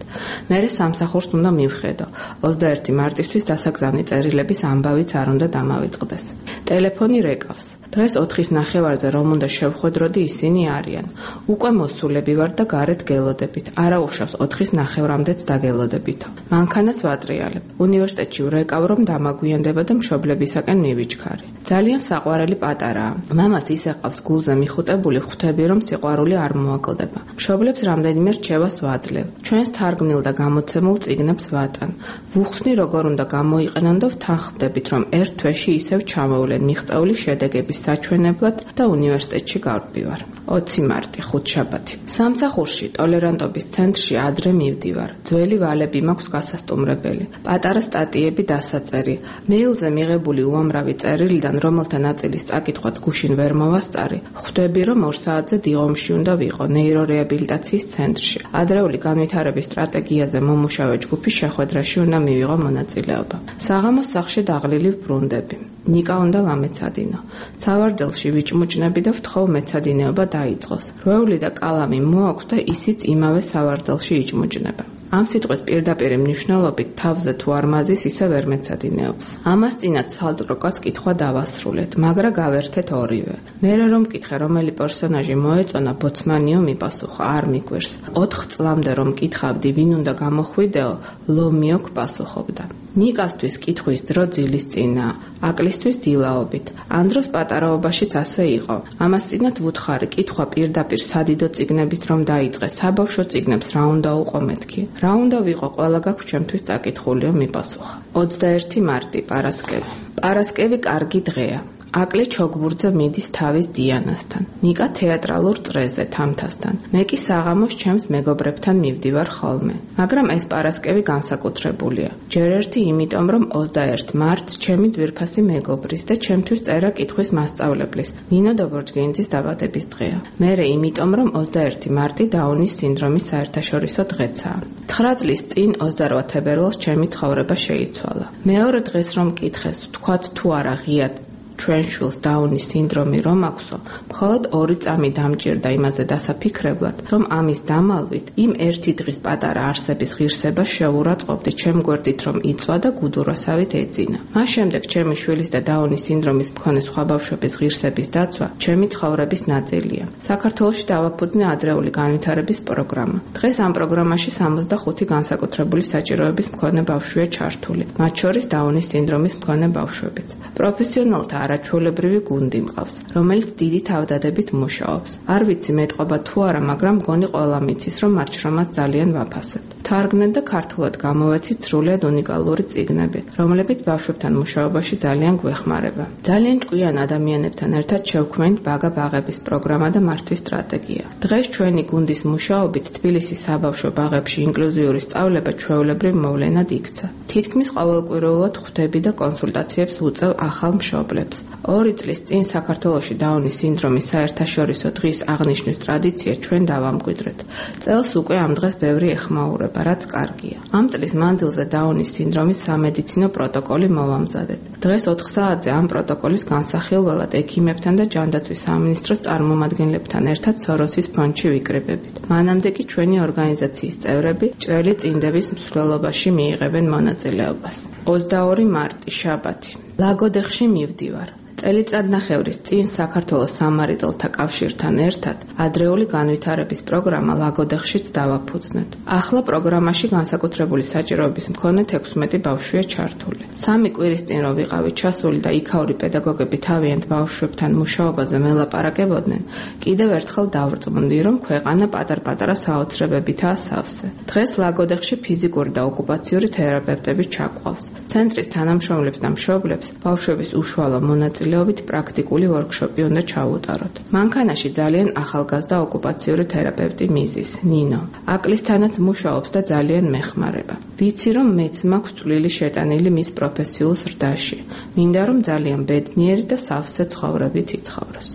მერე სამსახურს უნდა მივხედო. 21 მარტისთვის დასაგზავნი წერილების ამბავიც არ უნდა დამავიწყდეს. ტელეფონი რეკავს. დღეს 4-ის ნახევარზე რომ უნდა შევხვედროდი, ისინი არიან. უკვე მოსულები ვარ და გარეთ გელოდებით. არა უშავს 4-ის ნახევრამდეც დაგელოდებითო. მანქანას ვატრიალებ. უნივერსიტეტში ვრეკავ რომ დამაგვიანდება და მშობლებისაკენ მივიჩქარი. ძალიან საყვარელი პატარაა. მამას ისე ყავს გულზე მიხუტებული, ხვდები რომ სიყვარული არ მოაკლდება. მშობლებს რამდენიმე რჩევას ვაძლევ. ჩვენს თარგმნილ და გამოცემულ წიგნებს ვატან. ვუხსნი როგორ უნდა გამოიყენონ და ვთანხმდებით რომ ერთ თვეში ისევ ჩამოვლენ მიღწეული შედეგების საჩვენებლად და უნივერსიტეტში გავდივარ. 20 მარტი, ხუთშაბათი. სამსახურში ტოლერანტობის ცენტრში ადრე მივდივარ. ძველი ვალები მაქვს გასასტუმრებელი. პატარა სტატიები დასაწერი. მეილზე მიღებული უამრავი წერილიდან, რომელთა ნაწილის წაკითხვაც გუშინ ვერ მოვასწარი, ხვდები რომ 2 საათზე დიღომში უნდა ვიყო ნეირორეაბილიტაციის ცენტრში. ადრეული განვითარების სტრატეგიაზე მომუშავე ჯგუფის შეხვედრაში უნდა მივიღო მონაწილეობა. საღამოს სახლში დაღლილი ვბრუნდები. ნიკა უნდა ვამეცადინო. ცავარდელში ვიჭმუჭნები და ვთხოვ მეცადინეობა დაიწყოს. რვეული და კალამი მოაქვს და ისიც იმავე სავარდელში იჭმუჭნება. ამ სიტყვის პირდაპირ მნიშვნელობით თავზე თუ არ მაზის ისე ვერ მეცადინეობს. ამას წინათ სალტროკას კითხვა დავასრულეთ, მაგრამ გავერთეთ ორივე. მერე რომ მკითხე რომელი პერსონაჟი მოეწონა, ბოცმანიო მიპასუხა, არ მიგვერს. 4 წლამდე რომ მკითხავდი ვინ უნდა გამოხვიდეო, ლომიოკ პასუხობდა. ნიკასთვის კითხვის დრო ძილის წინაა, აკლისთვის დილაობით. ანდროს პატარაობაშიც ასე იყო. ამას წინათ ვუთხარი, კითხვა პირდაპირ სადიდო წიგნებით რომ დაიწყე, საბავშვო წიგნებს რა უნდა უყო მეთქი. რა უნდა ვიყო, ყველა გაქვს ჩემთვის წაკითხულიო მიპასუხა. 21 მარტი, პარასკევი. პარასკევი კარგი დღეა. აკლი ჩოგბურთზე მიდის თავის დიანასთან. ნიკა თეატრალურ წრეზე თამთასთან. მე კი საღამოს ჩემს მეგობრებთან მივდივარ ხოლმე. მაგრამ ეს პარასკევი განსაკუთრებულია. ჯერ ერთი იმიტომ, რომ 21 მარტს ჩემი ძვირფასი მეგობრის და ჩემთვის წერა კითხვის მასწავლებლის, ნინო დობორჯგინძის დაბადების დღეა. მერე იმიტომ, რომ 21 მარტი დაუნის სინდრომის საერთაშორისო დღეცაა. 9 წლის წინ 28 თებერვალს ჩემი ცხოვრება შეიცვალა. მეორე დღეს რომ მკითხეს, ვთქვათ თუ არა ღიად ჩვენ შვილს დაუნის სინდრომი რომ აქვსო, მხოლოდ 2 წამი დამჭირდა იმაზე დასაფიქრებლად, რომ ამის დამალვით იმ ერთი დღის პატარა არსების ღირსება შევურაცხყოფდი ჩემ გვერდით რომ იწვა და გუდურვასავით ეძინა. მას შემდეგ ჩემი შვილის და დაუნის სინდრომის მქონე სხვა ბავშვების ღირსების დაცვა ჩემი ცხოვრების ნაწილია. საქართველოში დავაფუძნე ადრეული განვითარების პროგრამა. დღეს ამ პროგრამაში 65 განსაკუთრებული საჭიროების მქონე ბავშვია ჩართული, მათ შორის დაუნის სინდრომის მქონე ბავშვებიც. პროფესიონალთა არაჩვეულებრივი გუნდი მყავს, რომელიც დიდი თავდადებით მუშაობს. არ ვიცი მეტყობა თუ არა, მაგრამ მგონი ყველა მიცის, რომ მათ შრომას ძალიან ვაფასებ. თარგმნეთ და ქართულად გამოვეცით სრულიად უნიკალური წიგნები, რომლებიც ბავშვებთან მუშაობაში ძალიან გვეხმარება. ძალიან ჭკვიან ადამიანებთან ერთად შევქმნით ბაღების პროგრამა და მართვის სტრატეგია. დღეს ჩვენი გუნდის მუშაობით თბილისის საბავშვო ბაღებში ინკლუზიური სწავლება ჩვეულებრივ მოვლენად იქცა. თითქმის ყოველკვირეულად ხვდები და კონსულტაციებს ვუწევ ახალ მშობლებს. 2 წლის წინ საქართველოში დაუნის სინდრომის საერთაშორისო დღის აღნიშვნის ტრადიცია ჩვენ დავამკვიდრეთ. წელს უკვე ამ დღეს ბევრი ეხმაურება, რაც კარგია. ამ წლის მანძილზე დაუნის სინდრომის სამედიცინო პროტოკოლი მოვამზადეთ. დღეს 4 საათზე ამ პროტოკოლის განსახილველად ექიმებთან და ჯანდაცვის სამინისტროს წარმომადგენლებთან ერთად სოროსის ფონდში ვიკრიბებით. მანამდე კი ჩვენი ორგანიზაციის წევრები ჭრელი წინდების მსვლელობაში მიიღებენ მონაწილეობას. 22 მარტი, შაბათი. ლაგოდეხში მივდივარ. წელიწადნახევრის წინ საქართველოს სამარიტელთა კავშირთან ერთად ადრეული განვითარების პროგრამა ლაგოდეხშიც დავაფუძნეთ. ახლა პროგრამაში განსაკუთრებული საჭიროების მქონე 16 ბავშვია ჩართული. 3 კვირის წინ რო ვიყავით ჩასული და იქაური პედაგოგები თავიანთ ბავშვებთან მუშაობაზე მელაპარაკებოდნენ, კიდევ ერთხელ დავრწმუნდი, რომ ქვეყანა პატარ-პატარა საოცრებებითაა სავსე. დღეს ლაგოდეხში ფიზიკური და ოკუპაციური თერაპევტები ჩაგვყავს. ცენტრის თანამშრომლებს და მშობლებს ბავშვების უშუალო მონაწილეობით პრაქტიკული ვორქშოპი უნდა ჩაუტაროთ. მანქანაში ძალიან ახალგაზრდა ოკუპაციური თერაპევტი მიზის, ნინო. აკლისთანაც მუშაობს და ძალიან მეხმარება. ვიცი, რომ მეც მაქვს წვლილი შეტანილი მის პროფესიულ ზრდაში. მინდა რომ ძალიან ბედნიერი და სავსე ცხოვრებით იცხოვროს.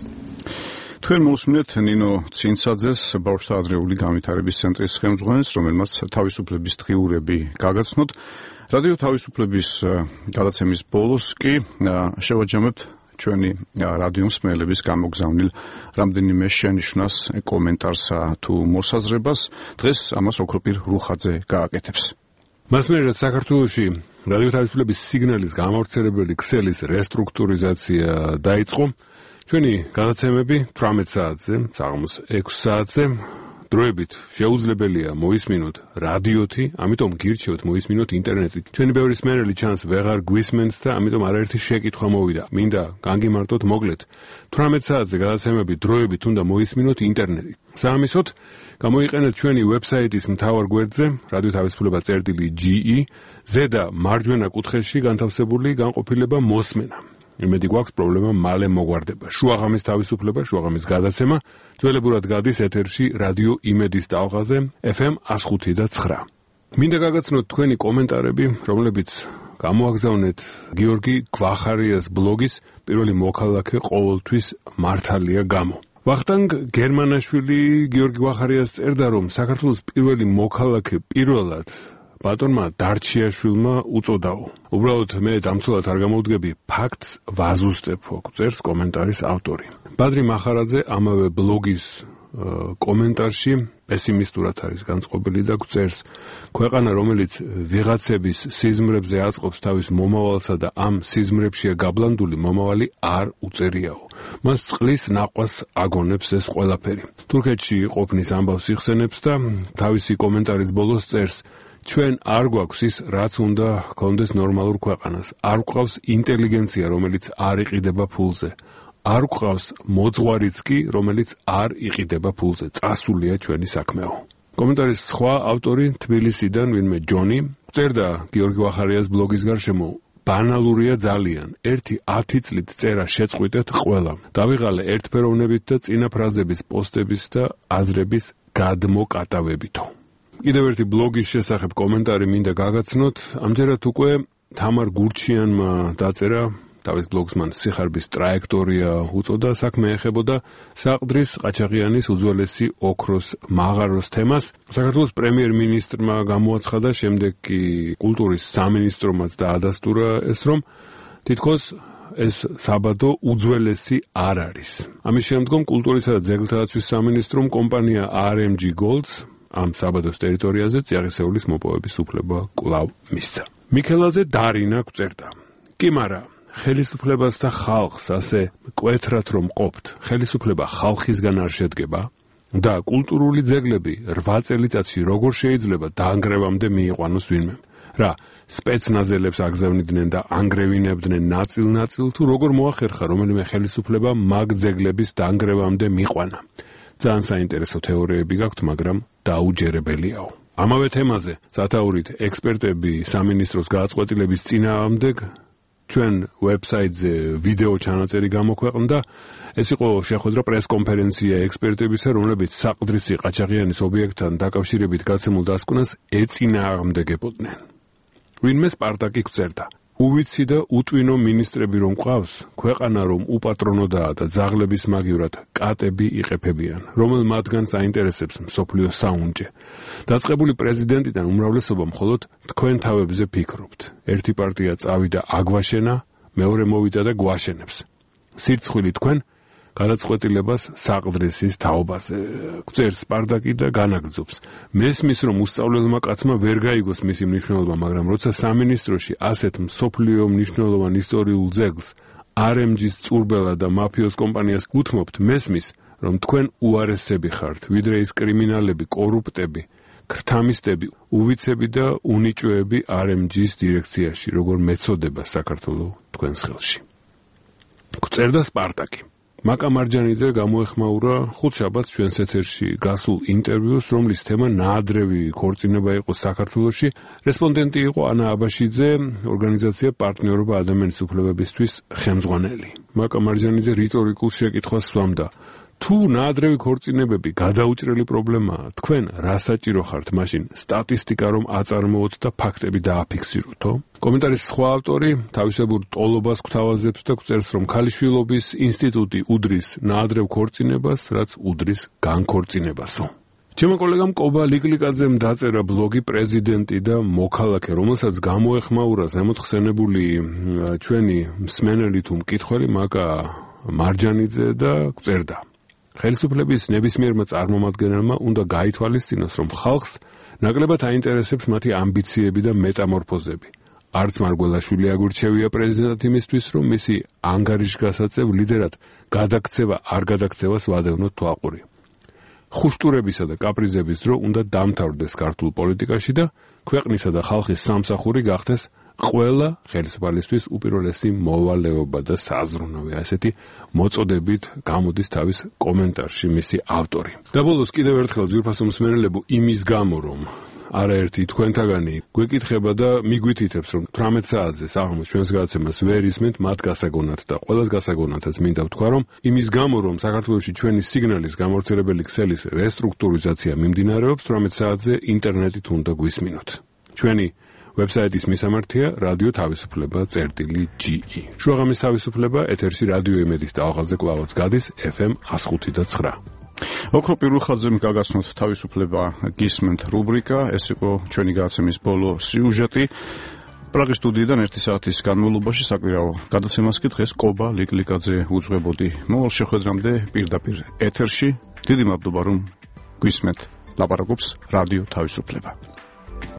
თქვენ მოусმინეთ ნინო ცინცაძეს, ბავშვთა ადრეული განვითარების ცენტრის ხელმძღვანელს, რომელმაც თავისუფლების დღიურები გაგაცნოთ. რადიო თავისუფლების გადაცემის ბოლოს კი შევაჯამებთ ჩვენი რადიო მსმენელების გამოგზავნილ რამდენიმე შენიშვნას, კომენტარს თუ მოსაზრებას. დღეს ამას ოქროპირ რუხაძე გააკეთებს. მასმერად საქართველოში რადიო თავისუფლების სიგნალის გამავრცელებელი ქსელის რესტრუქტურიზაცია დაიწყო. ჩვენი გადაცემები 18 საათზე, საღამოს 6 საათზე დროებით შეუძლებელია მოისმინოთ რადიოთი, ამიტომ გირჩევთ მოისმინოთ ინტერნეტით. ჩვენი ბევრი მსმენელი ჩანს ვეღარ გვისმენს და ამიტომ არაერთი შეკითხვა მოვიდა. მინდა განგიმარტოთ მოკლედ 18 საათზე გადაცემები დროებით უნდა მოისმინოთ ინტერნეტით. საამისოდ გამოიყენეთ ჩვენი ვებსაიტის მთავარ გვერდზე radio.თავისუფლება.ge ზედა მარჯვენა კუთხეში განთავსებული განყოფილება მოსმენა. იმედი გვაქვს პრობლემა მალე მოგვარდება. შუაღამის თავისუფლება, შუაღამის გადაცემა ძველებურად გადის ეთერში რადიო იმედის ტალღაზე FM 105.9. მინდა გაგაცნოთ თქვენი კომენტარები, რომლებიც გამოაგზავნეთ გიორგი გვახარიას ბლოგის პირველი მოქალაქე ყოველთვის მართალია გამო. ვახტანგ გერმანაშვილი გიორგი გვახარიას წერდა, რომ საქართველოს პირველი მოქალაქე პირველად ბატონმა დარჩიაშვილმა უწოდაო. უბრალოდ მე დამცველად არ გამოვდგები, ფაქტს ვაზუსტებ, წერს კომენტარის ავტორი. ბადრი მახარაძე ამავე ბლოგის კომენტარში პესიმისტურად არის განწყობილი და წერს, ქვეყანა რომელიც ვიღაცების სიზმრებზე აწყობს თავის მომავალსა და ამ სიზმრებშია გაბლანდული მომავალი არ უწერიაო. მას წყლის ნაყვას აგონებს ეს ყველაფერი. თურქეთში ყოფნის ამბავს იხსენებს და თავისი კომენტარის ბოლოს წერს, ჩვენ არ გვაქვს ის, რაც უნდა გქონდეს ნორმალურ ქვეყანას. არ გვყავს ინტელიგენცია, რომელიც არ იყიდება ფულზე. არ გვყავს მოძღვარიც კი, რომელიც არ იყიდება ფულზე. წასულია ჩვენი საქმეო. კომენტარის სხვა ავტორი თბილისიდან ვინმე ჯონი წერდა გიორგი ვახარიას ბლოგის გარშემო, ბანალურია ძალიან. 1-10 წლით წერა შეწყვიტეთ ყველამ. დავიღალე ერთფეროვნებით და წინა ფრაზების პოსტების და აზრების გადმოკატავებითო. კიდევ ერთი ბლოგის შესახებ კომენტარი მინდა გაგაცნოთ. ამჯერად უკვე თამარ გურჩიანმა დაწერა თავის ბლოგს, მან სიხარბის ტრაექტორია უწოდა, საქმე ეხებოდა საყდრის ყაჩაღიანის უძველესი ოქროს მაღაროს თემას. საქართველოს პრემიერ-მინისტრმა გამოაცხადა, შემდეგ კი კულტურის სამინისტრომაც დაადასტურა ეს, რომ თითქოს ეს საბადო უძველესი არ არის. ამის შემდგომ კულტურისა და ძეგლთათვის სამინისტრომ კომპანია RMG Golds ამ საბადოს ტერიტორიაზე წიაღისეულის მოპოვების უფლება კვლავ მისცა. მიქელაძე დარინა წერდა, კი მარა ხელისუფლებას და ხალხს ასე კვეთრად რომ ყოფთ, ხელისუფლება ხალხისგან არ შედგება და კულტურული ძეგლები 8 წელიწადში როგორ შეიძლება დაანგრევამდე მიიყვანოს ვინმე. რა, სპეცნაზელებს აგზავნიდნენ და ანგრევინებდნენ ნაწილ-ნაწილ, თუ როგორ მოახერხა რომელიმე ხელისუფლება მაგ ძეგლების დაანგრევამდე მიყვანა. ძალიან საინტერესო თეორიები გაქვთ, მაგრამ დაუჯერებელიაო. ამავე თემაზე სათაურით ექსპერტები სამინისტროს გააწყვეტილების წინააღმდეგ ჩვენ ვებსაიტზე ვიდეო ჩანაწერი გამოქვეყნდა. ეს იყო შეხვედრა პრესკონფერენცია ექსპერტებისა, რომლებიც საყდრისი ყაჩაღიანის ობიექტთან დაკავშირებით გაცემულ დასკვნას ეწინააღმდეგებოდნენ. ვინმე სპარტაკი წერდა, უვიცი და უტვინო მინისტრები რომ ყავს, ქვეყანა რომ უპატრონოდაა და ძაღლების მაგივრად კატები იყეფებიან, რომელ მათგანს აინტერესებს მსოფლიო საუნჯე. დაწყებული პრეზიდენტიდან უმრავლესობა მხოლოდ თქვენ თავებზე ფიქრობთ. ერთი პარტია წავიდა აგვაშენა, მეორე მოვიდა და გვაშენებს. სირცხვილი თქვენ გადაწყვეტილებას საყდრისის თაობაზე. წერს სპარტაკი და განაგრძობს. მესმის რომ უსწავლელმა კაცმა ვერ გაიგოს მისი მნიშვნელობა, მაგრამ როცა სამინისტროში ასეთ მსოფლიო მნიშვნელოვან ისტორიულ ძეგლს RMG-ს წურბელა და მაფიოს კომპანიას გუთმობთ, მესმის რომ თქვენ უარესები ხართ, ვიდრე ის კრიმინალები, კორუპტები, ქრთამისტები, უვიცები და უნიჭოები RMG-ს დირექციაში, როგორ მეწოდება საქართველოს თქვენს ხელში. წერდა სპარტაკი. მაკა მარჯანიძე გამოეხმაურა ხუთშაბათს ჩვენს ეთერში გასულ ინტერვიუს, რომლის თემა ნაადრევი ქორწინება იყო საქართველოში. რესპონდენტი იყო ანა აბაშიძე, ორგანიზაცია პარტნიორობა ადამიანის უფლებებისთვის ხელმძღვანელი. მაკა მარჯანიძე რიტორიკულ შეკითხვას სვამდა, თუ ნაადრევი ქორწინებები გადაუჭრელი პრობლემაა, თქვენ რა საჭირო ხართ მაშინ სტატისტიკა რომ აწარმოოთ და ფაქტები დააფიქსიროთო? კომენტარის სხვა ავტორი თავისებურ ტოლობას გვთავაზებს და წერს, რომ ქალიშვილობის ინსტიტუტი უდრის ნაადრევ ქორწინებას, რაც უდრის განქორწინებასო. ჩემო კოლეგამ კობა ლიკლიკაძემ დაწერა ბლოგი პრეზიდენტი და მოქალაქე, რომელსაც გამოეხმაურა ზემოთხსენებული ჩვენი მსმენელი თუ მკითხველი მაკა მარჯანიძე და წერდა. ხელისუფლების ნებისმიერმა წარმომადგენელმა უნდა გაითვალისწინოს, რომ ხალხს ნაკლებად აინტერესებს მათი ამბიციები და მეტამორფოზები. არც მარგველაშვილი აგურჩევია პრეზიდენტად იმისთვის, რომ მისი ანგარიშგასაწევ ლიდერად გადაქცევა არ გადაქცევას ვადევნოთ თვალყური. ხუშტურებისა და კაპრიზების დრო უნდა დამთავრდეს ქართულ პოლიტიკაში და ქვეყნისა და ხალხის სამსახური გახდეს ყველა ხელისუფალისთვის უპირველესი მოვალეობა და საზრუნავი. ასეთი მოწოდებით გამოდის თავის კომენტარში მისი ავტორი. და ბოლოს კიდევ ერთხელ ძვირფასო მსმენელებო იმის გამო რომ არაერთი თქვენთაგანი გვეკითხება და მიგვითითებს რომ 18 საათზე საღამოს ჩვენს გადაცემას ვერ ისმენთ მათ გასაგონად და ყველას გასაგონადაც მინდა ვთქვა რომ იმის გამო რომ საქართველოში ჩვენი სიგნალის გამავრცელებელი ქსელის რესტრუქტურიზაცია მიმდინარეობს 18 საათზე ინტერნეტით უნდა გვისმინოთ. ჩვენი ვებსაიტის მისამართია რადიო თავისუფლება.ge. შუაღამის თავისუფლება ეთერში რადიო იმედის ტალღაზე კვლავაც გადის FM 105.9. ოქრო პირველხაძემ გაგაცნოთ თავისუფლება გისმენთ რუბრიკა, ეს იყო ჩვენი გადაცემის ბოლო სიუჟეტი. პრაღის სტუდიიდან 1 საათის განმავლობაში საკვირაო გადაცემას კი დღეს კობა ლიკლიკაძე უძღვებოდი. მოვალ შეხვედრამდე პირდაპირ ეთერში. დიდი მადლობა რომ გვისმენთ. ლაპარაკობს რადიო თავისუფლება.